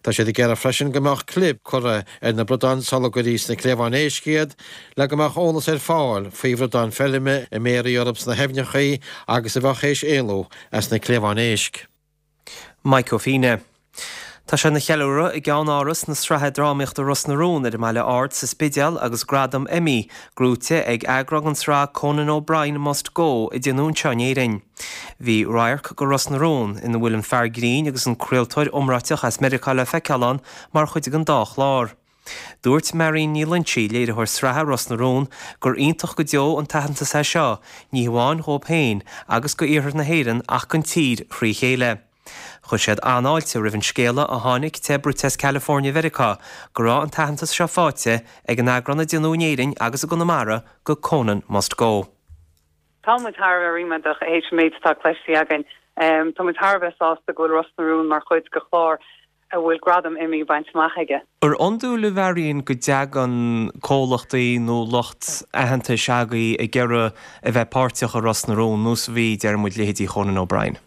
Tá siad ag iarraidh freisin go mbeadh clib curtha ar na bradáin sula gcuirfí sna cliabháin éisc iad le go mbeadh eolas ar fáil faoi bhradáin feilme a mbéarfaí orthu sna haibhneacha agus a bheadh théis éalú as na cliabháin éisc. Mike Ó Fianna. Tá sé ina cheiliúradh i gceann-áras na sraithe drámaíochta Ros na Rún ar an mBaile Ard sa Spidéal agus gradam Emmy gnóite ag eagrán den tsraith Conan O'Brien Must Go a déanadh anseo in Éirinn. Bhí radharc de Ros na Rún, ina bhfuil an fear grinn agus an craoltóir iomráiteach as Meiriceá le feiceáil ann mar chuid den dá chlár. Dúirt Máirín Ní Loinsigh, léiritheoir sraithe Ros na Rún, gur iontach go deo an t-aitheantas é seo, ní hamháin dhóibh féin agus go iarthar na hÉireann ach don tír thrí chéile. Chuir siad an-fháilte roimh an scéala a tháinig te bruite as California Mheiriceá go raibh an t-aitheantas seo faighte ag an eagrán a déanadh in Éirinn agus i gConamara de Conan Must Go. Tá muid thar a bheith ríméadach théis an méid atá cloiste againn. Tá muid thar a bheith sásta go bhfuil Ros na Rún mar chuid de chlár a bhfuil gradam Emmy bainte amach aige. Ar iondúil a Mharion go dtagann comhlachtaí nó lucht aitheantais agaibh ag iarraidh a bheith páirteach i Ros na Rún, nós a bhí, deir muid, leithéidí Chonan O'Brien?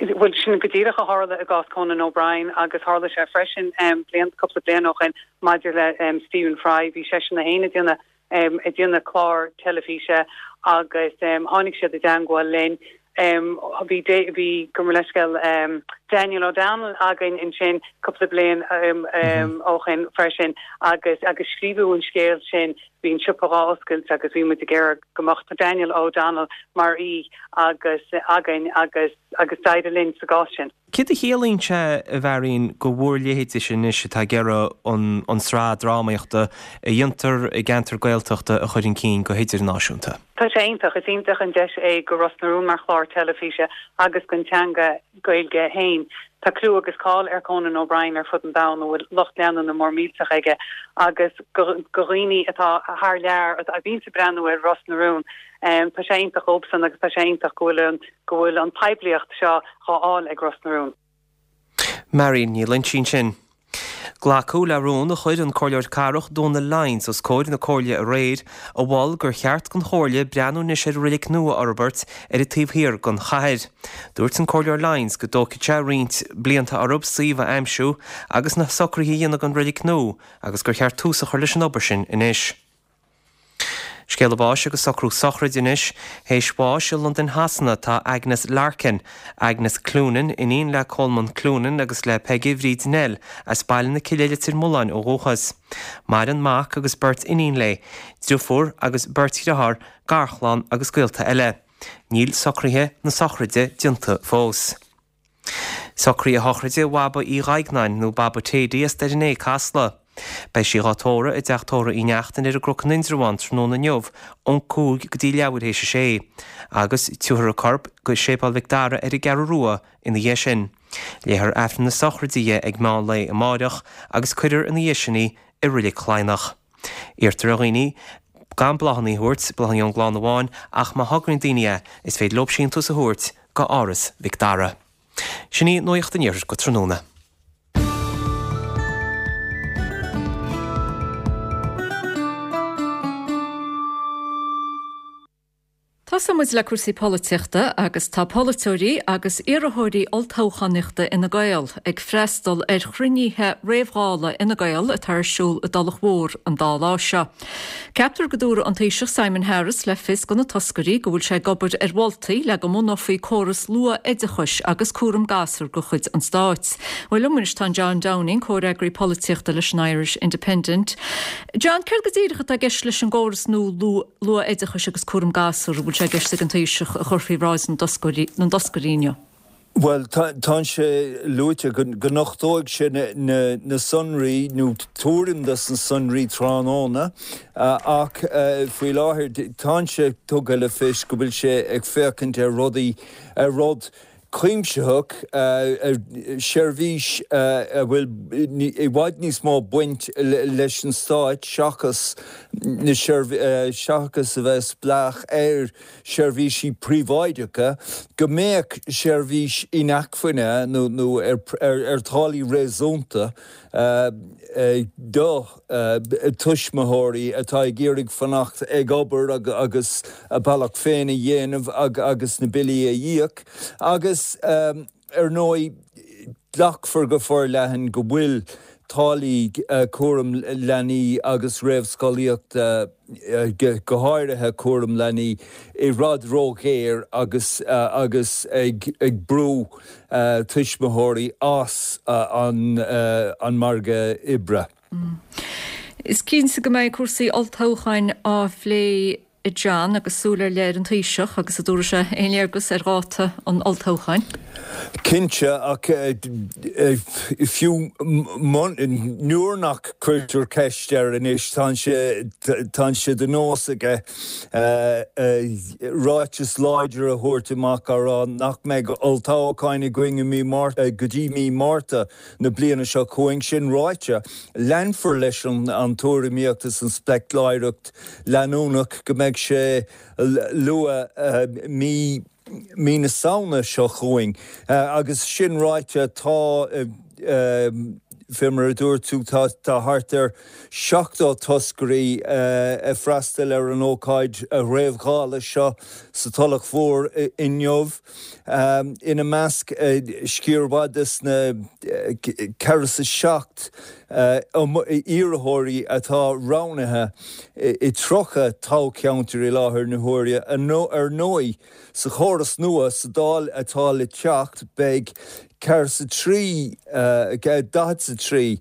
Bhuel, sin go díreach a tharla i gcás Conan O'Brien agus tharla sé freisin bliain, cúpla bliain ó shin maidir le Stephen Fry. Bhí seisean é féin ag déanamh ag déanamh clár teilifíse agus tháinig siad i dteangmháil linn. Bhí bhí gabh mo leithscéal Daniel O'Donnell againn ansin cúpla bliain ó shin freisin agus agus scríobhadh an scéal sin, bhí an siopa dhá oscailt agus bhí muid ag iarraidh go mbeadh Daniel O'Donnell mar aoi agus againn agus agus d'éirigh linn sa gcás sin. Céard a chiallaíonn sé, a Mharion, do bhur leithéidese anois atá ag iarraidh an tsraith drámaíochta a dhéantar i gceantar Gaeltachta a chur chun cinn go hidirnáisiúnta? Tá sé iontach. Is iontach an deis é go Ros na Rún mar chlár teilifíse agus don teanga Gaeilge féin. Tá clú agus cáil ar Conan O'Brien ar fud an domhain, a bhfuil lucht leanúna mór millteach aige, agus do dhaoine atá thar lear a bhíonns ag breathnú ar Ros na Rún, Tá sé iontach dóibhsan agus tá sé iontach go bhfuil an go bhfuil an poiblíocht seo dhá fháil ag Ros na Rún. Marion Ní Loinsigh ansin. Glacadh le rún a chuir an Comhairleoir Cathrach Dónal Lyons os comhair na Comhairle aréir, a mhol gur cheart don Chomhairle breathnú anois ar reilig nua a fhorbairt ar an taobh thiar den chathair. Dúirt an Comhairleoir Lyons go dtógfaidh sé roinnt blianta orthu suíomh a aimsiú agus na socruithe a dhéanamh don reilig nua agus gur cheart tús a chur leis an obair sin anois. Scéala báis agus socrú sochraide anois. Théis bháis i Londain Shasana tá Agnes Larkin, Agnes Cloonan, iníon le Colman Cloonan agus le Peige Bhríd Nell as Baile na Cille Leitir Mealláin ó dhúchas. Maireann mac agus beirt iníon léi, driofúr agus beirt dhriotháir, garchlann agus gaolta eile. Níl socruithe na sochraide déanta fós. Socraíodh a shochraide Bhaba Uí Dhuigneáin, nó Baba Tady as Doire an Fhéich, Casla. Beidh sí dhá tórramh i dTeach Tórraimh Uí Neachtain ar an gCnoc in Indreabhán tráthnóna inniu ón cúig go dtí leathuair théis a sé, agus tabharfar a corp go Séipéal Mhic Dara ar an gCeathrú Rua ina dhiaidh sin. Léifear Aifreann na sochraide di ag meán lae amáireach agus cuirfear ina dhiaidh sin í i Reilig Chladhnach. Iarrtar ar dhaoine gan bláthanna a thabhairt, bláthanna ón gclann amháin, ach má thograíonn daoine é, is féidir leo síntiús a thabhairt go Áras Mhic Dara. Sin í Nuacht an Iarthair go tráthnóna. Tosóidh muid le cúrsaí polaitíochta agus tá polaiteoirí agus iarrthóirí olltoghchánaíochta Fhine Gael ag freastal ar chruinnithe réamh-Dhála Fhine Gael atá ar siúl i dTulach Mhór an dá lá seo. Ceaptar go dtabharfaidh an Taoiseach Simon Harris le fios do na toscairí go bhfuil sé ag obair ar mholtaí le go mbunófaí córas luath-oideachais agus cúram gasúr de chuid an stáit. Bhuel liom anois tá John Downing, comhfhreagraí polaitíochta leis an Irish Independent. John, céard go díreach atá i gceist leis an gcóras nua luath-oideachais agus cúram gasúr a bhfuil sé i gceist ag an Taoiseach a chur faoi bhráid na dtoscairí inniu? Bhuel, tá sé luaite go nochtóidh sé na sonraí nó tuairim dos na sonraí tráthnóna ach faoi láthair tá sé tugtha le fios go bhfuil sé ag féachaint ar rudaí, ar rud cuimsitheach, seirbhís a bhfuil i bhfad níos mó baint leis an stáit seachas na seachas a bheith spleách ar sheirbhísí príobháideacha, go mbeadh seirbhís inacmhainne nó nó ar táillí réasúnta do tuismitheoirí atá ag iarraidh fanacht ag obair agus a bealach féin a dhéanamh agus na billí a íoc agus ar ndóigh glacfar go forleathan go bhfuil táillí cúram leanaí agus réamhscolaíochta, go háirithe cúram leanaí, i bhfad ródhaor agus agus ag brú tuismitheoirí as an margadh oibre. Is cinnte go mbeidh cúrsaí olltoghcháin á phlé a John, agus súil ar leith ar an Taoiseach agus an dtabharfaidh sé aon léargas ar dháta an olltoghcháin. Cinnte, ach fiú nuair nach cuirtear ceist air anois, tá sé tá sé de nós aige ráiteas láidir a thabhairt amach á rá nach mbeidh olltoghchán againn i mí Márta go dtí mí Márta na bliana seo chugainn. Sin ráite, leanfar leis an tuairimíocht is an speicléireacht leanúnach go mbeidh sé luath mí mí na Samhna seo chugainn. Agus sin ráite, tá, fé mar a dúirt tú, tá thart ar seachtó toscairí ag freastal ar an ócáid réamh-ghála seo sa Tulach Mhór inniu. Ina measc, sciar mhaith des na ceathracha is a seacht iarrthóirí atá roghnaithe i tríocha toghcheantar i láthair na huaire. Ar ndóigh, sa chóras nua sa Dáil atá le teacht, beidh ceathracha is a trí, daichead is a trí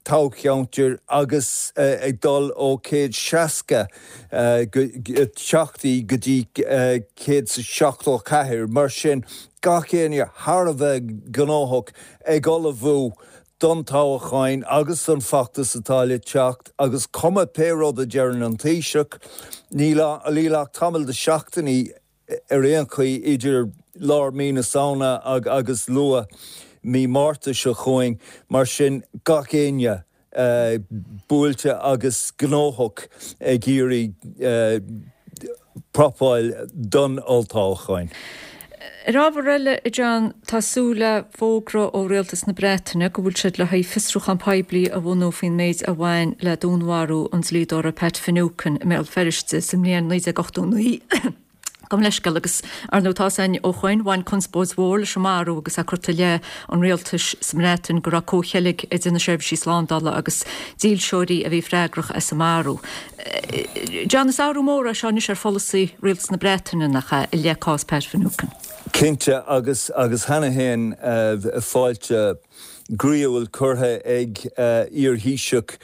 toghcheantar agus ag dul ó céad seasca teachtaí go dtí céad is seachtó ceathair. Mar sin, gach éinne thar a bheith gnóthach ag ullmhú don toghchán agus don feachtas atá le teacht agus cuma pé rud a deireann an Taoiseach, níl ach tamall de seachtainí ar aon chaoi idir lár mí na Samhna agus luath mí Márta seo chugainn, mar sin gach éinne buailte agus gnóthach ag iarraidh prapáil don olltoghchán. Ar ábhar eile, a John, tá súil le fógra ó Rialtas na Breataine go bhfuil siad le haghaidh fiosrúchán poiblí a bhunú faoin méid a bhain le dúnmharú an dlíodóra Pat Finucane i mBéal Feirste sa mbliain naoi déag ochtó naoi. Gabh mo leithscéal agus, ar ndóigh, tá a fhios againn ó shoin, bhain conspóid mhór leis an marú agus é curtha i leith an rialtais sa mBreatain go raibh comhcheilg idir na seirbhísí slándála agus dílseoirí a bhí freagrach as an marú. John, is athrú mór é seo anois ar pholasaí rialtas na Breataine, nach ea, i leith cás Pat Finucane? Cinnte, agus agus cheana féin fáilte groíúil curtha ag iar-Thaoiseach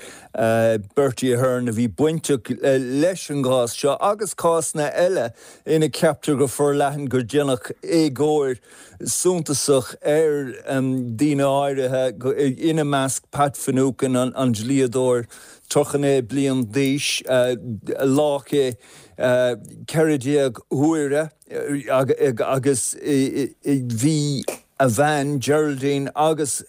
Bertie Ahern a bhí bainteach leis an gcás seo agus cásanna eile ina ceaptar go forleathan gur déanadh éagóir suntasach ar daoine áirithe, ina measc Pat Finucane, an dlíodóir tríocha naoi bliain d'aois, a lách é ceithre déag huaire agus bhí a bhean, Geraldine, agus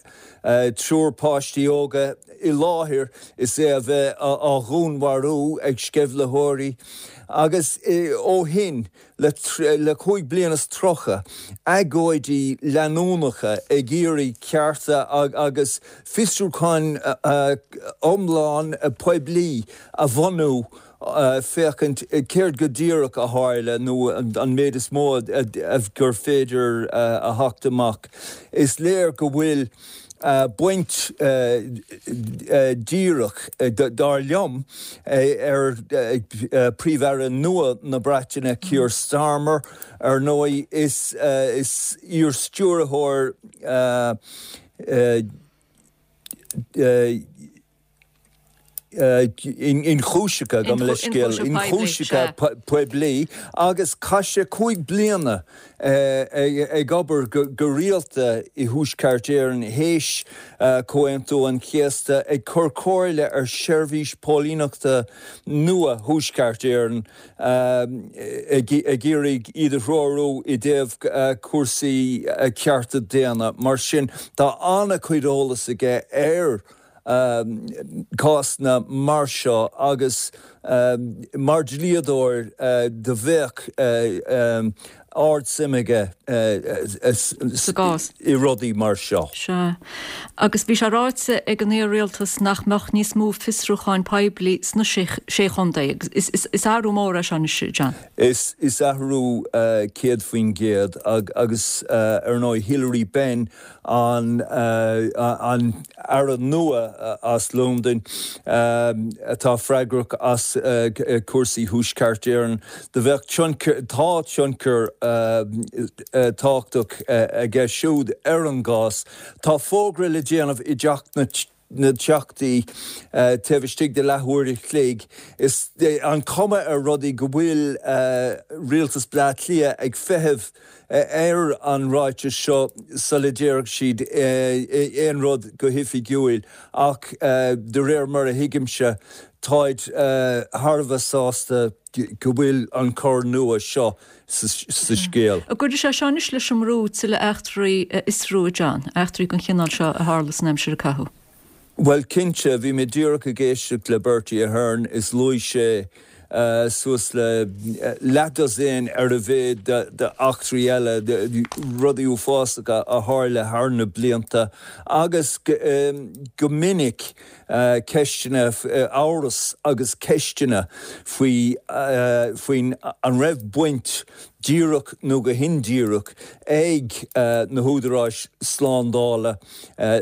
triúr páistí óga i láthair is é a bheith á dhúnmharú ag sceimhlitheoirí agus ó shin le cúig bliana is tríocha, agóidí leanúnacha ag iarraidh cearta agus fiosrúchán iomlán poiblí a bhunú féachaint céard go díreach a tharla nó an méid is mó gur féidir a theacht amach. Is léir go bhfuil baint díreach, dar liom, ar Príomh-Aire nua na Breataine, Keir Starmer. Ar ndóigh, is iar-stiúrthóir ionchúiseacha, gabh mo leithscéal, ionchúiseacha poiblí agus chaith sé cúig bliana ag obair go rialta i Thuaisceart Éireann théis Comhaontú an Chéasta ag cur comhairle ar sheirbhís póilíneachta nua Thuaisceart Éireann ag iarraidh iad a threorú i dtaobh cúrsaí cearta daonna. Mar sin tá an-chuid eolas aige ar cásanna mar seo agus mar dhlíodóir do bheadh ard-suim aige sa gcás. i rudaí mar seo. Sea. Agus bhí sé ráite ag an iar-rialtas nach mbeadh níos mó fiosrúcháin poiblí sna sé chontae. Is athrú mór é seo anois, John. Is athrú céad faoin gcéad agus ar ndóigh Hilary Benn an Aire nua as Londain atá freagrach as cúrsaí Thuaisceart Éireann. Do bheadh tionchar, tá tionchar tábhachtach aige siúd ar an gcás. Tá fógra le déanamh i dTeach na na dTeachtaí taobh istigh de leathuair a chloig. Is an cuma ar rudaí go bhfuil rialtas Bleá Cliath ag feitheamh ar an ráiteas seo sula déarfaidh siad aon rud go hoifigiúil ach de réir mar a thuigimse táid thar a bheith sásta go bhfuil an cor nua seo sa scéal. An gcuirfidh sé seo anois leis an mbrú tuilleadh eachtraí a fhiosrú, a John, eachtraí den chineál seo a tharla san aimsir a caitheadh? Bhuel, cinnte, bhí mé díreach ag éisteacht le Bertie Ahern is luaigh sé suas le leathdosaen ar a mhéad d'eachtraí eile, rudaí uafásacha a tharla thar na blianta agus go minic ceisteanna, amhras agus ceisteanna faoi faoin an raibh baint díreach nó go hindíreach ag na húdaráis slándála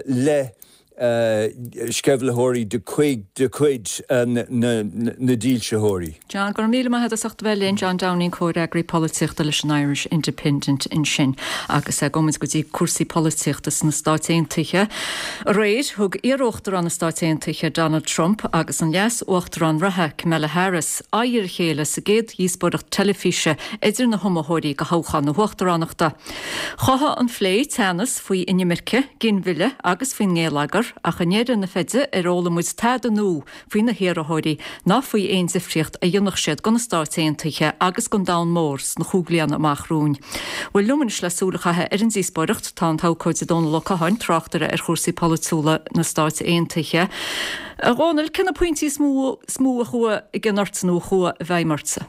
le sceimhlitheoirí de chuid de chuid na dílseoirí. John, Go raibh míle maith agat as ucht a bheith linn, John Downing, comhfhreagraí polaitíochta leis an Irish Independent ansin. Agus gabhfaidh muid go dtí cúrsaí polaitíochta sna Stáit Aontaithe. Aréir, thug iar-uachtarán na Stáit Aontaithe Donald Trump agus an leas-uachtarán reatha Kamala Harris aghaidh ar a chéile sa gcéad dhíospóireacht teilifíse idir na hiomaitheoirí do thoghchán na huachtaránachta. Chothaigh an plé teannas faoi inimirce, ginmhilleadh agus faoin ngeilleagar, ach i ndeireadh na feide ar fhoghlaim muid tada nua faoi na hiarrthóirí ná faoi aon difríocht a dhéanfadh siad do na Stáit Aontaithe agus don domhan mór sna cúig bliana amach romhainn. Bhuel liom anois le súil a chaitheamh ar an díospóireacht tá an t-abhcóide Dónal Ó Catháin, tráchtaire ar chúrsaí polaitiúla na Stáit Aontaithe. A Dhónaill, cé na pointí is mó is mó a chuaigh i gcion ortsa nó a chuaigh i bhfeidhm ortsa?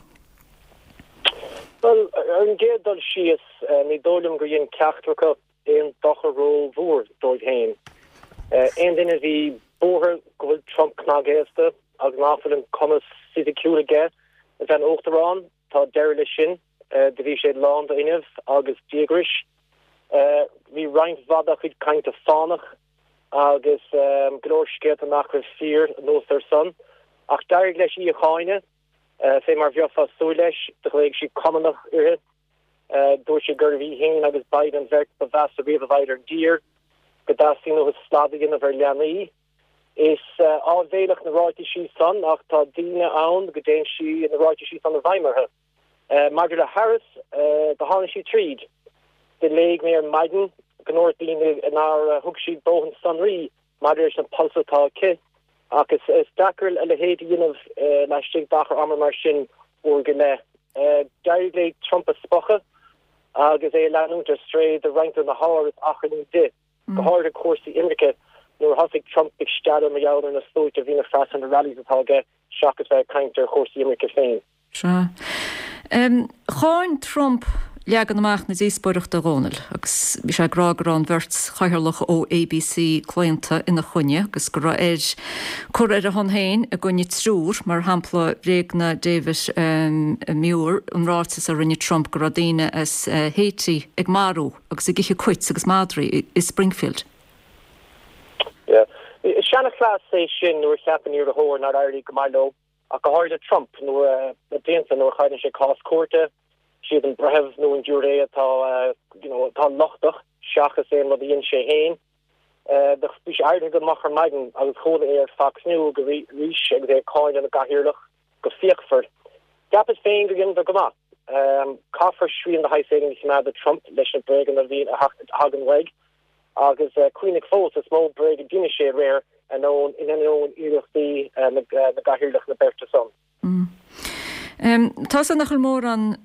Bhuel, ar an gcéad dul síos, ní dóigh liom gur dhein ceachtar acu aon dochar rómhór dóibh féin. Aon duine a bhí buartha go bhfuil Trump cnagaosta agus nach bhfuil an cumas fisiciúil aige a bheith ina uachtarán, tá deireadh leis sin. Do bhí sé lán d'fhuinneamh agus díograis. Bhí roinnt mhaith dá chuid cainte fánach agus go leor scéalta nach raibh fíor anuas air san. Ach d'éirigh leis í a cháineadh, fé mar bheifeá ag súil leis. Do ghlaoigh sé cumannach uirthi. Dúirt sé gurbh í féin agus Biden an bheirt ba mheasa riamh a bheidh ar an dtír, go dteastaíonn uathu slad a dhéanamh ar leanaí. Is áibhéileach na ráitisí san ach tá daoine ann go dtéann sí na ráitisí san i bhfeidhm orthu. Maidir le Harris, do tháinig sí tríd. Do léigh mé ar maidin go ndúirt daoine nár thug sí dóthain sonraí maidir leis na polasaithe atá aici, ach is deacair a leithéid a dhéanamh laistigh d'achar ama mar sin uair go leith. D'éirigh léi Trump a spochadh agus é a leanúint ar strae do roinnt de na hábhair is achrannaí di, go háirithe cúrsaí imirce, nuair a thosaigh Trump ag stealladh mar gheall ar na sluaite a bhíonn ag freastal ar na rallies atá aige seachas bheith ag caint ar chúrsaí imirce féin. Sea. Cháin Trump leagan amach na díospóireachta, a Dhónaill, agus bhí sé ag rá go raibh an bheirt chathaoirleach ó ABC claonta ina choinne agus go raibh air cur ar a shon féin i gcoinne triúr, mar shampla bhréagnaigh David Muir an ráiteas a rinne Trump go raibh daoine as Haiti ag marú agus ag ithe cait agus madraí i Springfield. Yeah. Is seanchleas é sin nuair a cheapann iarrthóir nár éirigh go maith leo. Ach go háirithe Trump, nuair na blianta nuair a chailleann sé cás cúirte, siad an breitheamh nó an giúiré atá you know atá lochtach seachas aon rud a dhein sé féin. Bhí sé éirithe go moch ar maidin agus chuala é ar Fox News arís agus é ag cáineadh na gcathaoirleach go fíochmhar. Cheapas féin go dheineadar go maith. Caithfear srian de shaghas éigin a choimeád ar Trump leis na bréaga a bhíonn a thagann uaidh. Agus cuimhnigh fós, is mó bréag a d'inis sé aréir in ainneoin iarrachtaí na gcathaoirleach na beirte san. Tá sé nach bhfuil mórán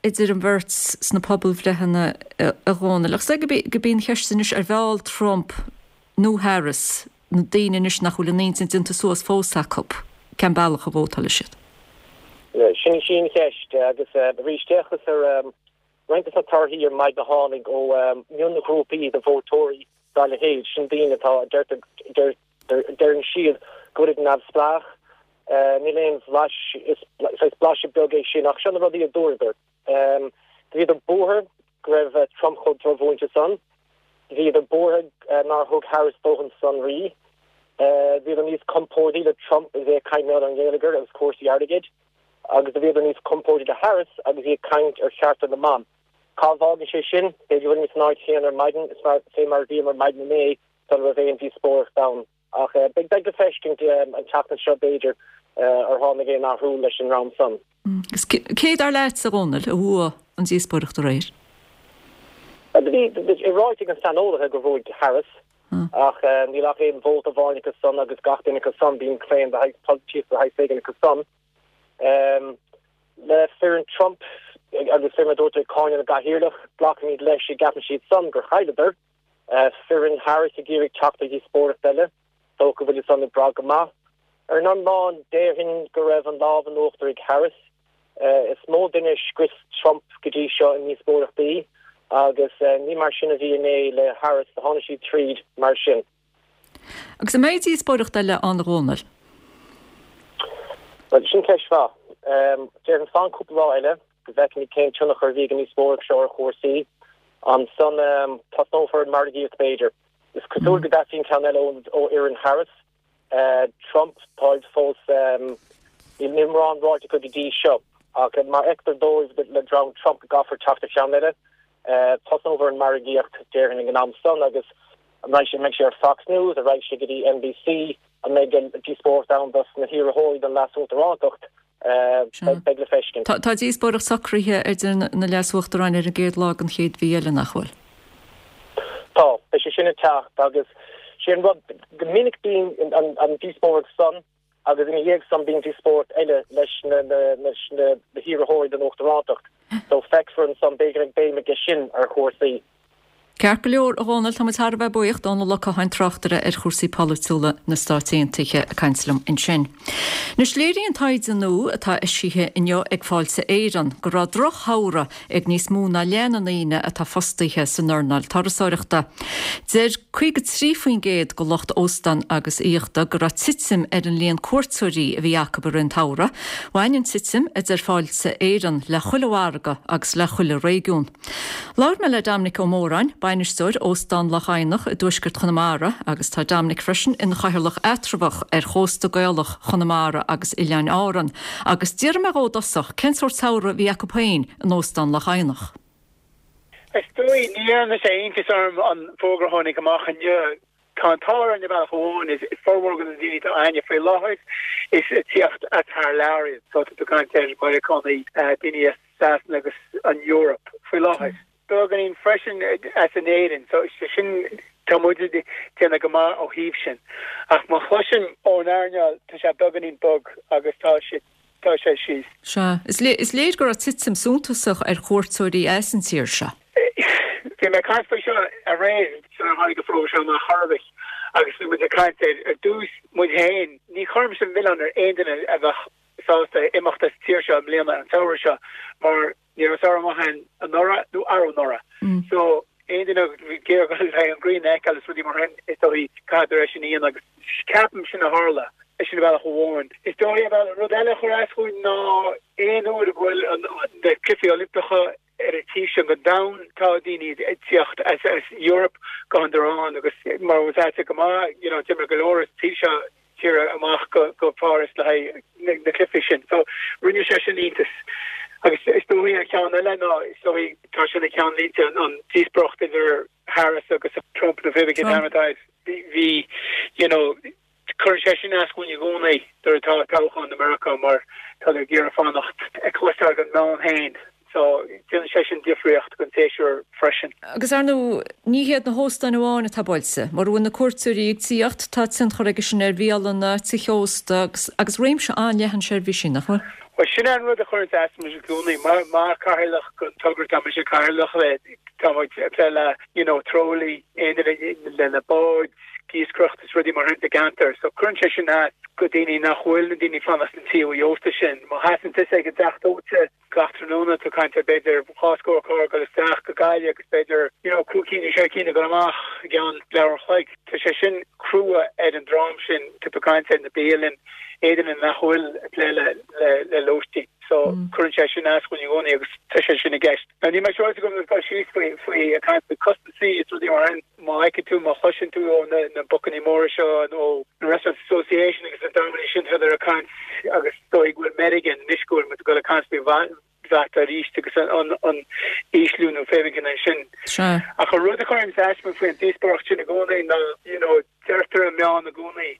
idir an bheirt sna pobalbhreitheanna, a Dhónaill. Ach is gurb í an cheist anois ar mheall Trump nó Harris na daoine anois nach bhfuil a n-intinn déanta suas fós acu cén bealach a vótálfaidh siad. Sin í an cheist agus arís d'fhéachas ar Roinnt de na torthaí ar maidin a tháinig ó mhionghrúpaí de vótóirí dá leithéid, sin daoine atá, a deireann siad, go bhfuilid neamhspleách. Níl aon bhlais, is saghas blaiseadh beag é sin, ach seo na rudaí a dúradar. Do bhíodar buartha go raibh Trump chomh drochmhúinte san. Bhíodar buartha nár thug Harris dóthain sonraí. Bhíodar níos compórdaí le Trump is é ag caint ar an ngeilleagar agus cúrsaí airgid. Agus do bhíodar níos compórdaí le Harris agus í ag caint ar chearta na mban. Cá bhfágann sé sinn? B'fhéidir go bhfuilimid san áit chéanna ar maidin is mar fé mar a bhíomar maidin inné sula raibh aon díospóireacht ann. Ach beidh beidh le feiscint an tseachtain seo b'fhéidir ar tháinig aon athrú leis an ndream san. Agus cé dar leat, a Dhónaill, a bhuaigh an díospóireacht aréir? Bhí sé ráite ag na saineolaithe gur bhuaigh Harris ach níl ach aon vóta amháin acu san agus gach duine acu san bíonn claon de shaghas polaitíocht de shaghas éigin acu san. Le foireann Trump agus fé mar a dúirt ag cáineadh na gcathaoirleach, glacaimid leis go gceapann siad san gur chailleadar. Foireann Harris ag iarraidh teacht ar dhíospóireacht eile, dócha go bhfuil san ag brath go maith. Ar an iomlán, déarfainn go raibh an lámh in uachtar ag Harris. Is mó duine a scrios Trump go dtí seo i ndíospóireachtaí agus ní mar sin a bhí inné le Harris, tháinig sí tríd mar sin. Agus an mbeidh díospóireacht eile ann a Dhónaill? Bhuel, sin ceist mhaith. Déarfainn fan cúpla lá eile go bhfeicfimid cén tionchar a bhí ag an ndíospóireacht seo ar chúrsaí. Ansan tosnófar an margaíocht b'fhéidir. Is cosúil go dteastaíonn ceann eile ó fhoireann Harris. Trump, táid fós, níl mórán ráite acu go dtí seo. Ach má fheictear dóibh le dream Trump go gcaithfear teacht ar cheann eile, tosnófar an margaíocht déarfainn ag an am san agus an mbeidh sé, an mbeidh sé ar Fox News, an raghaidh sé go dtí NBC, an mbeidh díospóireacht ann dos na hiarrthóirí don leas-uachtarántacht, beidh le feiscint. Tá díospóireacht socraithe idir na leas-uachtaráin ar an gcéad lá den chéad mhí eile, nach bhfuil? Tá, beidh sé sin ag teacht agus sé an rud, go minic bíonn an díospóireacht san agus ina dhiaidh san bíonn díospóireacht eile leis na leis na hiarrthóirí don uachtarántacht. So feicfear ansan, b'fhéidir go mbeidh béim aige sin ar chúrsaí. Ceart go leor, a Dhónaill, tá muid thar a bheith buíoch. Dónall Ó Catháin, tráchtaire ar chúrsaí polaitiúla na Stáit Aontaithe, ag caint liom ansin. Anois, léiríonn taighde nua atá eisithe inniu ag Fáilte Éireann go raibh drochshamhradh ag níos mó ná leath na ndaoine atá fostaithe san earnáil turasóireachta. Deir caoga trí faoin gcéad de lucht óstán agus aíochta go raibh titim ar an líon cuairteoirí a bhí acu i rith an tsamhraidh. Bhain an titim, a deir Fáilte Éireann, le chuile mhargadh agus le chuile réigiún. Labhair mé le Dominic Ó Móráin, bainisteoir Óstán Loch Eidhneach i dtuaisceart Chonamara agus tá Dominic freisin ina chathaoirleach eatramhach ar Chósta Gaelach Chonamara agus Oileáin Árann agus d'iarr mé dhó i dtosach cén sórt samhradh a bhí acu féin in Óstán Loch Eidhneach. Is dóigh, ní dhéanann sé iontas orm an fógra a tháinig amach inniu. Tá an t-ádh orainn ar bhealach amháin, is formhór de na daoine atá againne faoi láthair, is ag tíocht as thar lear iad. So tá tú ag caint ar Meiriceánaigh, daoine as Sasana agus an Eoraip faoi láthair. Beagáinín freisin as in Éirinn. So sin, tá muid ag déanamh go maith ó thaobh sin. Ach má chloisim ón earnáil, tá sé beagáinín bog agus tá sé, tá sé síos. Sea. Is is léir go raibh titim suntasach ar chuairteoirí as an tír seo. Bhí mé ag caint faoi seo aréir, sular tháinig an fógra seo amach chor ar bith, agus bhí muid ag caint ar, ar dtús, muid féin, ní chuirimse an milleán ar aon duine a bheadh sásta imeacht as an tír seo i mbliana, an samhradh seo, mar ní raibh samhradh maith againn anuraidh nó arú anuraidh. So, aon duine a bhí ag iarraidh dul le haghaidh an ghrian a fheiceáil is rudaí mar sin, is dóigh, caithfear é sin a dhéanamh agus ceapaim sin a tharla, sin ar bhealach amháin. Is dóigh ar bhealach, rud eile a chuir as dhúinn ná aon uair a bhfuil na Cluichí Oilimpeacha ar an taobh seo den domhan, tá daoine ag tíocht as Eoraip go hiondúil agus mar a bhfuil go maith, you know, d'imigh go leor as an taobh seo tíre amach go Páras le haghaidh na cluichí sin. So rinne sé sin iontas. Agus is dóigh an ceann eile ná is dóigh tá sé ina cheannlínte an díospóireacht idir Harris agus Trump nó pé cén t-ainm atá air. Bhí you know cuireann sé sin as dhúinn i gcónaí nuair atá toghchán i Meiriceá mar tá ag iarraidh fanacht ag cloisteáil den meán féin. So, déanann sé sin difríocht don séasúr freisin. Agus ar ndóigh, ní hiad na hóstáin amháin atá buailte. Mura bhfuil na cuairteoirí ag tíocht, tá tionchar aige sin ar bhialanna, tithe ósta agus agus réimse an-leathan seirbhísí, nach bhfuil? Bhuel, sin é an rud a chuireanns as muid i gcónaí. Mar mar chathaoirleach den togra, tá mise cathaoirleach le, tá muid ag plé le, you know, trálaeirí, aon duine le na báid, iascaireacht is rudaí mar sin sa gceantar. So cuireann sé sin as go daoine nach bhfuil na daoine fanacht sna tithe ósta sin. Má sheasann tusa ag an dteach dóite, Gach tráthnóna tá tú ag caint ar b'fhéidir dhá scór carr ag dul isteach go Gaillimh agus b'fhéidir you know cúig cinn nó sé cinn ag dul amach i gceann leathuair an chloig. Tá sé sin crua ar an dream sin, tá tú ag caint ar na bialanna, aon duine nach bhfuil ag plé le le le lóistín. So cuireann sé sin as dhúinn i gcónaí agus tá sé sin i gceist. Now níl mé siúráilte go bhfuil dul síos faoi faoi ag caint faoi costasaí is rudaí mar sin. Má fheiceann tú, má chloiseann tú ó na na bocannaí móra seo nó na Restaurant Association agus na dreamanna sin tá siad ag caint agus is dóigh go bhfuil meirg anois go bhfuil muid ag dul ag caint faoi VAT arís agus an an ísliú nó pé cén é sin. Sea. Ach an rud a chuireann as dom faoin díospóireacht sin i gcónaí ná you know Deirtear i meáin i gcónaí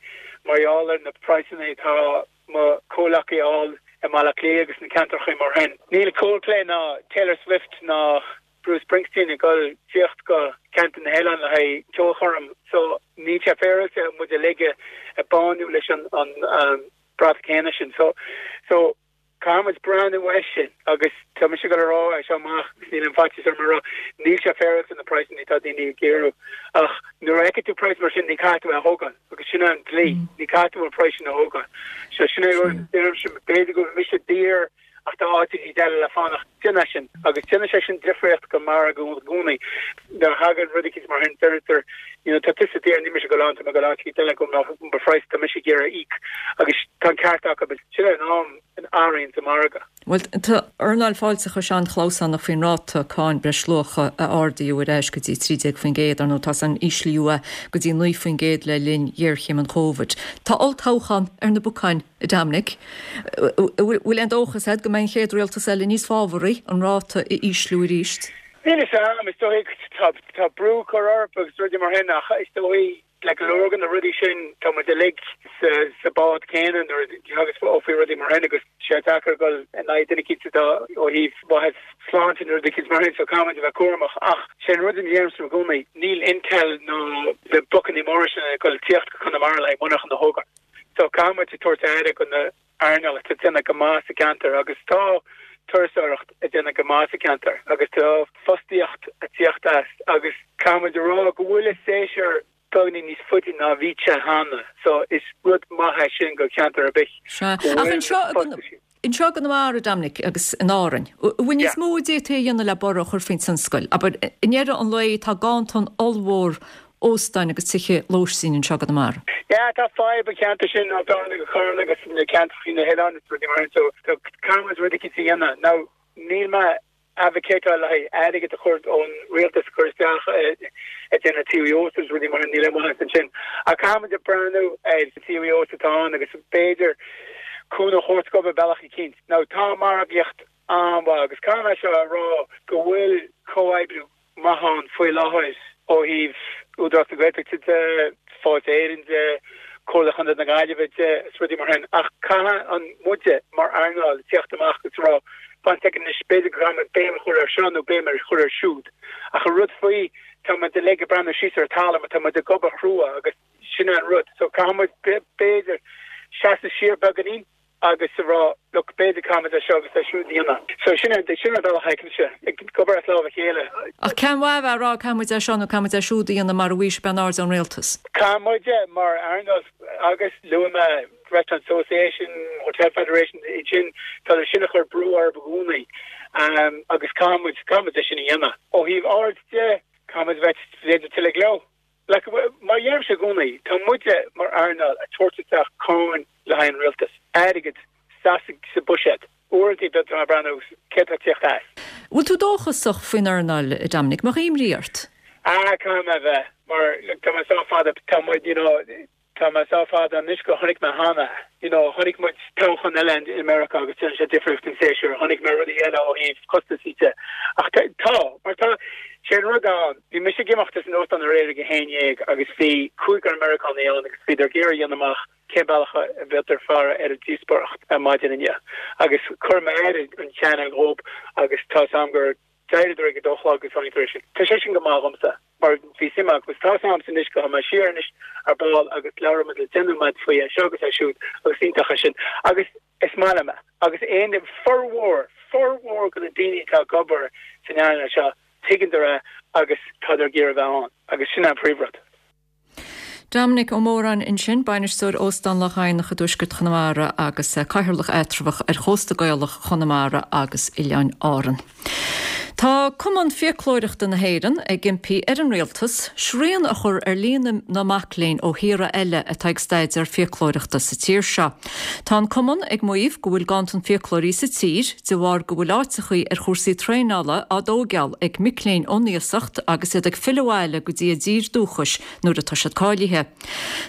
mar gheall ar na praghsanna atá mo chomhleacaí a fháil i mBaile Átha Cliath agus na ceantracha mar sin. Níl Coldplay ná Taylor Swift ná Bruce Springsteen ag dul tíocht go ceantar na hoileán le haghaidh ceolchoirm so níl sé féaráilte muid uilig a bánú leis an an bpráta céanna sin. So so caithfidh muid breathnú air sin agus tá mise ag dul a rá é seo amach agus níl aon faitíos orm a rá, níl sé féaráilte na praghsanna atá daoine ag iarraidh ach nuair a fheiceann tú praghas mar sin ní caithfidh tú é a thógáil agus sin é an dlí, ní caithfidh tú an praghas sin a thógáil. So sin é rud deirimse, b'fhéidir go bhfuil mise daor ach tá áiteachaí eile le fanacht, déan é sin agus déanann sé sin difríocht go margadh i gcónaí. Nuair a thagann rud eicínt mar sin deirtear you know tá tusa daor níl mise ag dul ann tá mé ag dul áit eicínt eile go mbeadh mo phraghas tá mise ag iarraidh a íoc agus tá an ceart acu agus sin é an am an athraíonn sa margadh. Bhuel, tá earnáil fáilteachais an-chlamhsánach faoin ráta cáin breisluacha a ardaíodh ar ais go dtí trí déag faoin gcéad, ar ndóigh tá san íslíodh é go dtí naoi faoin gcéad le linn ghéarchéim an Chóvid. Tá olltoghchán ar na bacáin, a Dominic. Bhfuil aon dóchas agat go mbeidh an chéad rialtas eile níos fábharaí an ráta a ísliú arís? Níl a fhios agam, is dóigh tá brú curtha orthu agus rudaí mar sin ach is dóigh le go leor de na rudaí sin tá muid uilig sa bád céanna nuair a thagas ó faoi rudaí mar sin agus sé deacair dul in aghaidh duine eicínt atá ó thaobh mhaitheas sláinte nó rud eicínt mar sin so caithfidh muid a bheith cúramach ach sé an rud a deirimse i gcónaí níl Intel ná na blocanna móra sin ag dul tíocht go Conamara le haghaidh monarchan a thógáil. So caithfidh muid tabhairt aire go na earnáil atá ag déanamh go maith sa gceantar agus tá turasóireacht ag déanamh go maith sa cheantar agus tá fostaíocht ag tíocht as agus caithfidh muid a rá go bhfuil an séasúr beagáinín níos faide ná bhí sé cheana so is rud maith é sin go cheantar ar bith Sea. Ach anseo anseo i gConamara, Dominic, agus in Árainn, an bhfuil níos mó a d'fhéadfaí a dhéanamh le borradh a chur faoin tionscal? Abair, i ndeireadh an lae tá ganntan ollmhór óstáin agus tithe lóistín anseo i gConamara. Yeah, tá fadhb an cheantar sin Ráth Bharra agus Carna agus na ceantracha na hoileáin is rudaí mar sin so so caithfidh muid rud eicínt a dhéanamh. Now níl mé advocateáil le haghaidh airgead a chur ón rialtas a chur isteach ag déanamh TVOs agus rudaí mar sin, níl aon mhaitheas ansin. Ach caithfidh muid breathnú ar TVOs atá ann agus b'fhéidir cúnamh a thabhairt dóibh ar bealach eicínt. Now tá margaíocht an-mhaith agus caithfidh mé seo a rá go bhfuil comhoibriú maith ann faoi láthair ó thaobh Údarás na Gaeltachta de, Fáilte Éireann de, Comhairle Chontae na Gaillimhe de is rudaí mar sin ach caithfidh an muide mar earnáil tíocht amach agus rá fan soicind anois b'fhéidir go gcaithfidh muid béim a chur ar seo nó béim a chur ar siúd ach an rud faoi tá muid uilig ag breathnú síos ar an talamh tá muid ag obair chrua agus sin é an rud so caithfidh muid b'fhéidir seasamh siar beagáinín agus a rá look b'fhéidir caithfidh muid é seo agus é siúd a dhéanamh. So sin é sin an bealach a fheicimse, ag obair as lámh a chéile. Ach cén mhaith a bheith ag rá caithfidh muid é seo nó caithfidh muid é siúd a dhéanamh mara bhfaighidh sibh aon aird ón rialtas? Caithfidh muid mar earnáil agus luaigh mé Restaurant Association, Hotel Federation, iad sin, tá sin ag cur brú orthu i gcónaí agus caithfidh muid, caithfidh muid é sin a dhéanamh. Ó thaobh aird de, caithfidh muid a bheith b'fhéidir tuilleadh leo. Like, mar a deirimse i gcónaí, tá muide mar earnáil ag tabhairt isteach cáin le haghaidh an rialtas, airgead sa sa buiséad. Uaireanta bíonn tú ag breathnú céard atá ag tíocht as. Bhfuil tú dóchasach faoin earnáil, a Dominic? An mbeadh imní ort? Ah, caithfidh mé a bheith, mar like, tá mé sách fada, tá muid, you know, Tá mé sách fada anois go chonaic mé cheana, you know, chonaic muid toghchán eile i Meiriceá agus déanann sé difríocht don séasúr, chonaic mé rudaí eile ó thaobh costasaí de. Ach tá, mar tá, sé an rud ann, bhí mise ag imeacht as an óstán aréir ag a haon dhéag agus bhí cúigear Meiriceánaigh ann agus bhíodar ag iarraidh a dhéanamh amach cén bealach a bhféadtar faire ar an díospóireacht ar maidin inniu. Agus chuir mé ar an channel dhób agus tá 's a'm gur D'éiríodar ag a dó a chlog agus tháinig tar éis sin. Tá sé sin go maith dhomsa mar bhí suim agam agus tá 's a'msa anois go mbeidh siar anois ar ball agus labhróidh muid le deich nóiméad faoi é seo agus é siúd agus iontach é sin agus is maith liom é agus aon formhór, formhór de na daoine atá ag obair san earnáil seo tuigeann é agus tádar ag iarraidh a bheith ann agus sin an príomhrud. Dominic Ó Móráin ansin, Bainisteoir Óstán Loch Eidhneach i dtuaisceart Chonamara agus Cathaoirleach Eatramhach ar Chósta Gaelach Chonamara agus Oileáin Árann. Tá Cumann Fiaclóireachta na hÉireann ag impí ar an Rialtas srian a chur ar líon na mac léinn ó thíortha eile atá ag staidéar fiaclóireachta sa tír seo. Tá an Cumann ag maíomh go bhfuil ganntan fiaclóirí sa tír de bharr go bhfuil áiteachaí ar chúrsaí traenála á dtóigeáil ag mic léinn ón iasacht agus iad ag filleadh abhaile go dtí a dtír dúchais nuair atá siad cáilithe.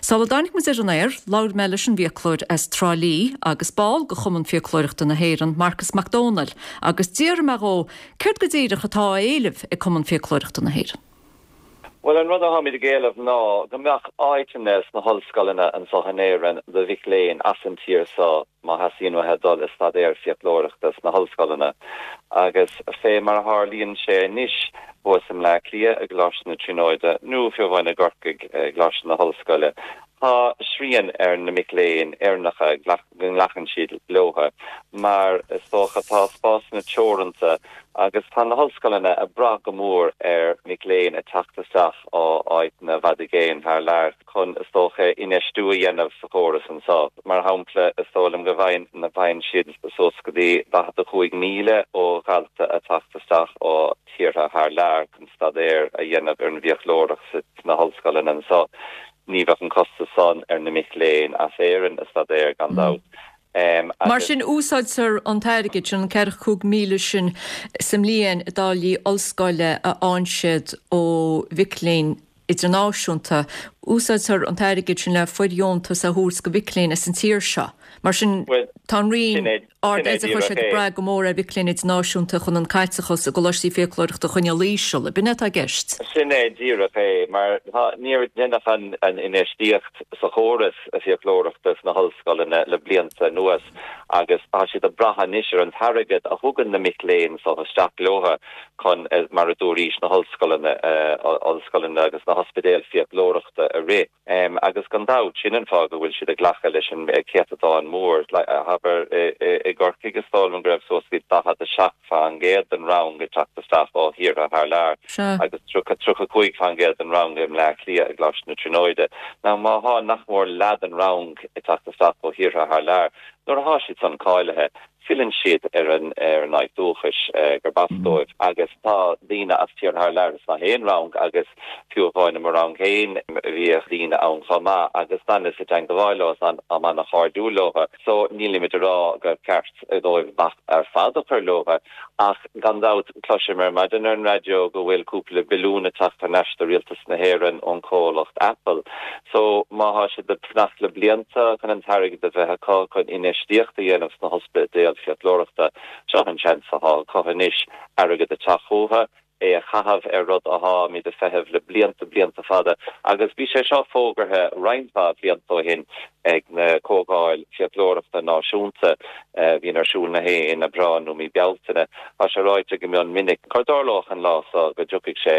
Sula dtáinig muid ar an aer, labhair mé leis an bhfiaclóir as Trá Lí agus ball de Chumann Fiaclóireachta na hÉireann, Marcas Mac Dónaill, agus d'fhiafraigh mé dhó céard go díreach atá á éileamh ag Cumann Fiaclóireachta na hÉireann. Well an rud atáimid ag éileamh ná go mbeadh áiteanna sna hollscoileanna anseo in Éirinn do mhic léinn as an tír seo má theastaíonn uathu dul ag staidéar fiaclóireachta sna hollscoileanna. Agus fé mar a tharlaíonn sé anois thuas i mBleá Cliath i gColáiste na Tríonóide nó fiú amháin i gCorcaigh i gColáiste na hOllscoile, tá srian ar na mic léinn Éireannacha go nglacann siad leothu mar is dócha tá spásanna teoranta agus tá na hollscoileanna ag brath go mór ar mhic léinn ag teacht isteach ó áiteanna i bhfad i gcéin thar lear chun is dócha infheistiú a dhéanamh sa chóras anseo. Mar shampla, is dóigh liom go bhfaigheann siad suas go dtí daichead a cúig míle ó dhalta ag teacht isteach ó thíortha thar lear chun staidéar a dhéanamh ar an bhfiaclóireacht sna hollscoileanna anseo. Ní bheadh an costas san ar na mic léinn as Éirinn ag staidéar gan dabht. Mar sin, úsáidtear an t-airgead sin, an ceathracha cúig míle sin sa mbliain i dtáillí ollscoile a fhaigheann siad ó mhic léinn idirnáisiúnta, úsáidtear an t-airgead sin le fóirdheontas a thabhairt go mhic léinn as an tír seo. Mar sin, tá an Roinn Ard-Oideachais ag brath go mór ar mhic léinn idirnáisiúnta chun an caiteachas i gcoláistí fiaclóireachta a choinneáil íseal. Ab in é atá i gceist? Sin é díreach é, mar níor deineadh an infheistíocht sa chóras fiaclóireachta sna hollscoileanna le blianta anuas agus tá siad ag brath anois ar an t-airgead a thugann na mic léinn so isteach leothu chun, mar a dúraís, na hollscoileanna, ollscoileanna agus na hospidéil fiaclóireachta a rith. Agus gan dabht, sin an fáth go bhfuil siad ag glacadh leis an céatadán mór. Abair, i gCorcaigh, is dóigh liom go raibh suas go dtí daichead a seacht faoin gcéad den rang ag teacht isteach ó thíortha thar lear agus tríocha a cúig faoin gcéad den rang i mBleá Cliath i gColáiste na Tríonóide. Now má thá nach mór leath den rang ag teacht isteach ó thíortha thar lear, nuair athá siad san cáilithe, filleann siad ar an ar an áit dúchais gurb as dóibh agus tá daoine as tíortha thar lear sna haon rang agus fiú amháin i mo rang féin bhíodh daoine ann chomh maith agus d'fhanas i dteangmháil leo is táim an-chairdiúil leo so nílimid ag rá gur ceart dóibh bac ar fad a chur leo ach gan dabht cloisim ar maidin ar an raidió go bhfuil cúpla billiún ag teacht thar n-ais do rialtas na hÉireann ón chomhlacht Apple so má thá siad ag fanacht le blianta chun an t-airgead a bheith acu chun infheistíocht a dhéanamh sna hospidéil fiaclóireachta, seo an seans athá acu anois airgead a teacht chucu, é a chaitheamh ar rud atháimid ag feitheamh le blianta, blianta fada agus bhí sé seo fógartha roinnt mhaith blianta ó shin ag na Comhdháil Fiaclóireachta Náisiúnta a bhíonn ar siúl na haon Aibreán nó mí Bealtaine. Tá sé ráite go mion minic go dtarlódh an lá seo go dtiocfaidh sé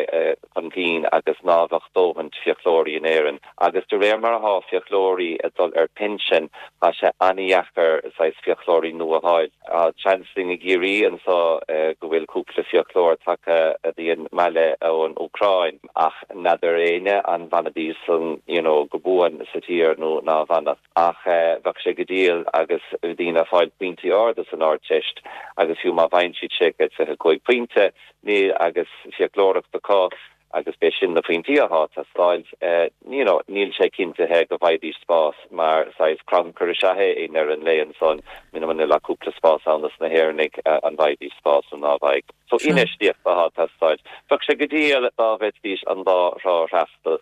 chun cinn agus ná bheadh dóthaint fiaclóirí in Éirinn agus de réir mar athá fiaclóirí ag dul ar pinsean tá sé an-dheacair saghas fiaclóirí nua a fháil. Tá seans linn i gCiarraí anso go bhfuil cúpla fiaclóir tagtha go dtí an mbaile ón Úcráin ach n'fheadar éinne an bhfanfaidís san you know go buan sa tír nó ná bhfanfadh. Ach bheadh sé go diail agus daoine ag fáil pointí arda san Ardteist agus fiú má bhfaigheann siad sé chéad fiche cúig pointe ní agus fiaclóireacht acu agus b'é sin na pointí athá ag teastáil you know níl sé cinntithe go bhfaighidís spás mar saghas crannchur is ea é i ndeireadh an lae ansan muna bhfuil ach cúpla spás ann dos na hÉireannaigh an bhfaighidís spás nó ná bhfaighidh. So infheistíocht athá ag teastáil. Bheadh sé go diail dá bhféadfaidís an dá thrá a fhreastal,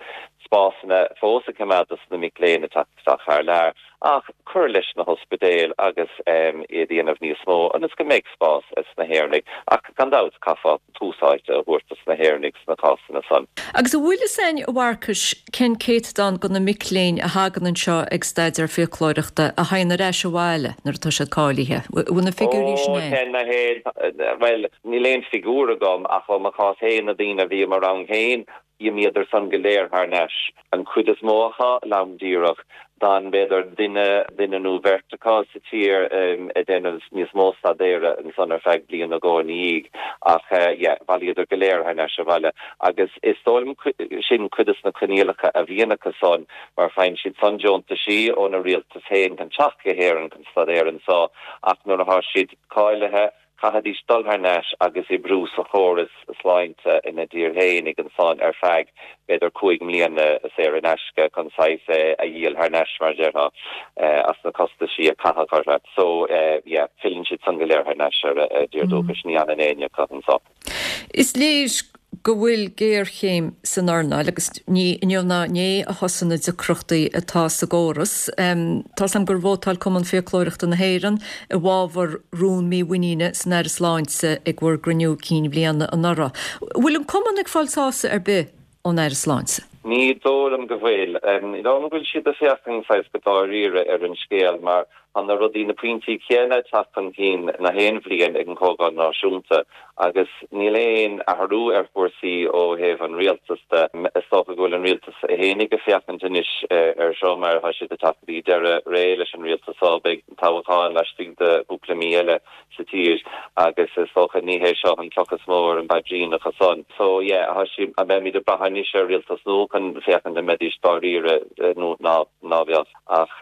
spásanna fós a choimeád dos na mic léinn ag teacht isteach thar lear ach cur leis na hospidéil agus iad a dhéanamh níos mó ionas go mbeidh spás ag na hÉireannaigh ach gan dabht caithfeá tús áite a thabhairt dos na hÉireannaigh sna cásanna san. Agus an bhfuil fhios a'inn, a Mharcais, cén céatadán de na mic léinn a thagann anseo ag staidéar fiaclóireachta a théann ar ais abhaile nuair atá siad cáilithe? Bhfuil na figiúirí sin Ó, a'inn? ten na haon, bhuel, níl aon figiúr agam ach ó mo chás féin na daoine a bhí i mo rang féin, D'imíodar san go léir thar n-ais, an chuid is mó acu, lom díreach. D'fhan b'fhéidir duine, duine nó beirt acu sa tír ag déanamh níos mó staidéara ansan ar feadh bliain nó dhó ina dhiaidh. Ach yeah, bhailíodar go léir thar n-ais abhaile. Agus is dóigh liom sin cuid de na coinníollacha a bhíonn acu san, mar faigheann siad san deontaisí óna rialtas féin chun teacht go hÉirinn chun staidéar anso, ach nuair atá siad cáilithe, Chaithfidís dul thar n-ais agus oibriú sa chóras sláinte ina dtír fhéinig ansan ar feadh b'fhéidir cúig mbliana saor in aisce chun saghas é a dhíol thar n-ais mar a déarfá as na costaisí a caitheadh orthu. So yeah, filleann siad san go léir thar n-ais ar a dtír dúchais, ní fhanann éinne acu anso. Is léir go bhfuil géarchéim san earnáil agus ní inniu ná inné a thosaigh na deacrachtaí atá sa gcóras. Tá's a'm gur vótáil Cumann Fiaclóireachta na hÉireann i bhfabhar rún mímhuiníne san Aire Sláinte ag bhur gcruinniú cinn bhliana anuraidh. Bhfuil an Cumann ag fáil sásamh ar bith ón Aire Sláinte. Ní dóigh liom go bhfuil. Ní dóigh liom go bhfuil siad ag féachaint saghas go dáiríre ar an scéal mar tá na rudaí, na pointí céanna ag teacht chun cinn na haon bhliain ag an Chomhdháil Náisiúnta agus níl aon athrú ar chúrsaí ó thaobh an rialtas de. Is dócha go bhfuil an rialtas fhéinig ag féachaint anois ar seo mar tá siad ag teacht go dtí deireadh ré leis an rialtas seo, beidh toghchán laistigh de chúpla mí eile sa tír agus is dócha ní hé seo an cloch is mó ar an bpaidrín acu san. So yeah, tá sí, beimid ag brath anois ar rialtas nua chun féachaint an mbeidís dáiríre nó ná ná bheadh ach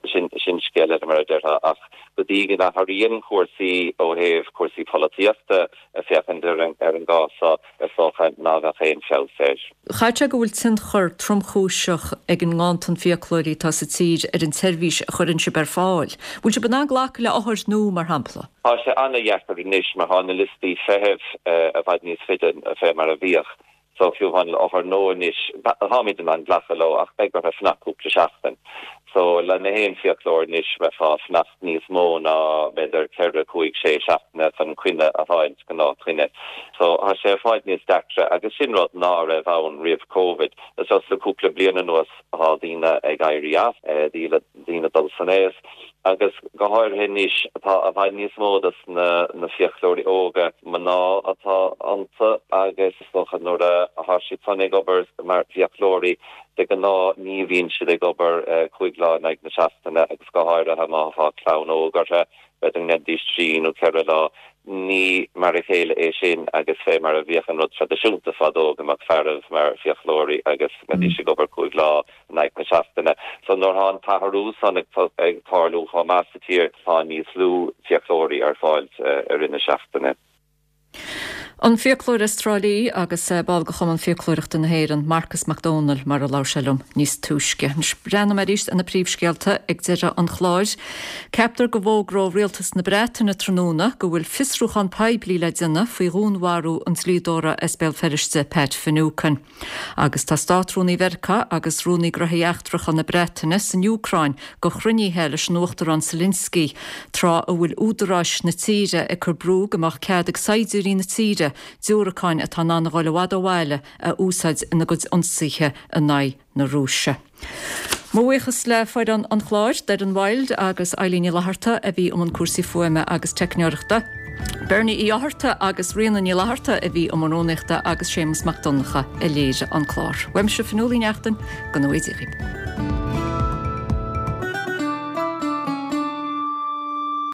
sin sin scéal eile mar a déarfá ach go dtí go n-athraíonn cúrsaí ó thaobh cúrsaí polaitíochta ag féachaint ar an ar an gcás seo is dócha ná bheadh aon feabhas air. Chaithfeadh sé go bhfuil tionchar tromchúiseach ag an nganntan fiaclóirí atá sa tír ar an tseirbhís a chuireann sibh ar fáil. Bhfuil sibh in ann glacadh le othair nua, mar shampla? Tá sé an-dheacair anois mar tá na liostaí feithimh i bhfad níos faide fé mar a bhíodh. So fiú amháin le othar nua anois, táimid in ann glacadh leo ach beidh orthu fanacht cúpla seachtain. So le na haon fiaclóir anois bheifeá ag fanacht níos mó ná b'fhéidir ceithre, cúig, sé seachtaine chun coinne a fháilt, gnáthchoinne. So tá sé i bhfad níos deacra agus sin rud ná raibh ann roimh Covid. Is just le cúpla bliain anuas tá daoine ag éirí as, daoine dul san aos agus go háirithe anois tá i bhfad níos mó dos na na fiaclóirí óga, mná atá iontu agus is dócha nuair a thá siad san ag obair mar fhiaclóirí de ghnáth ní bhíonn siad ag obair cúig lá in aghaidh na seachtaine agus go háirithe má thá clann óg orthu b'fhéidir go ndéanfaidís trí nó ceithre lá. Ní mar a chéile é sin agus fé mar a bhíodh an rud traidisiúnta fadó go mbeadh fearaibh mar fiaclóirí agus mbeidís ag obair cúig lá in aghaidh na seachtaine. So nuair thá an t-athrú san ag tarlú chomh maith sa tír tá níos lú fiaclóirí ar fáil i rith na seachtaine. An fiaclóir as Trá Lí agus ball de Chumann Fiaclóireachta na hÉireann, Marcas Mac Dónaill, mar a labhair sé liom níos túisce. Anois breathnóidh mé arís ar na príomhscéalta ag deireadh an chláir. Ceaptar go bhfógróidh Rialtas na Breataine tráthnóna go bhfuil fiosrúchán poiblí le déanamh faoi dhúnmharú an dlíodóra as Béal Feirste, Pat Finucane. Agus tá Státrúnaí Mheiriceá agus Rúnaí Gnóthaí Eachtracha na Breataine san Úcráin do chruinnithe leis an Uachtarán Zelensky, tráth a bhfuil údaráis na tíre ag cur brú go mbeadh cead ag saighdiúirí na tíre diúracáin atá in ann a dhul i bhfad ó bhaile a úsáid ina gcuid ionsaithe in aghaidh na Rúise. Mo bhuíochas le foireann an chláir, Doireann Wilde agus Eileen Ní Fhlatharta a bhí i mbun cúrsaí fuaime agus teicneoireachta, Bernie Uí Fhátharta agus Ríona Ní Fhlatharta a bhí i mbun rúnaíochta agus Séamus Mac Donncha a léirigh an clár. Uaimse Fionnuala Ní Neachtain, go ngnóthaí Dia dhaoibh.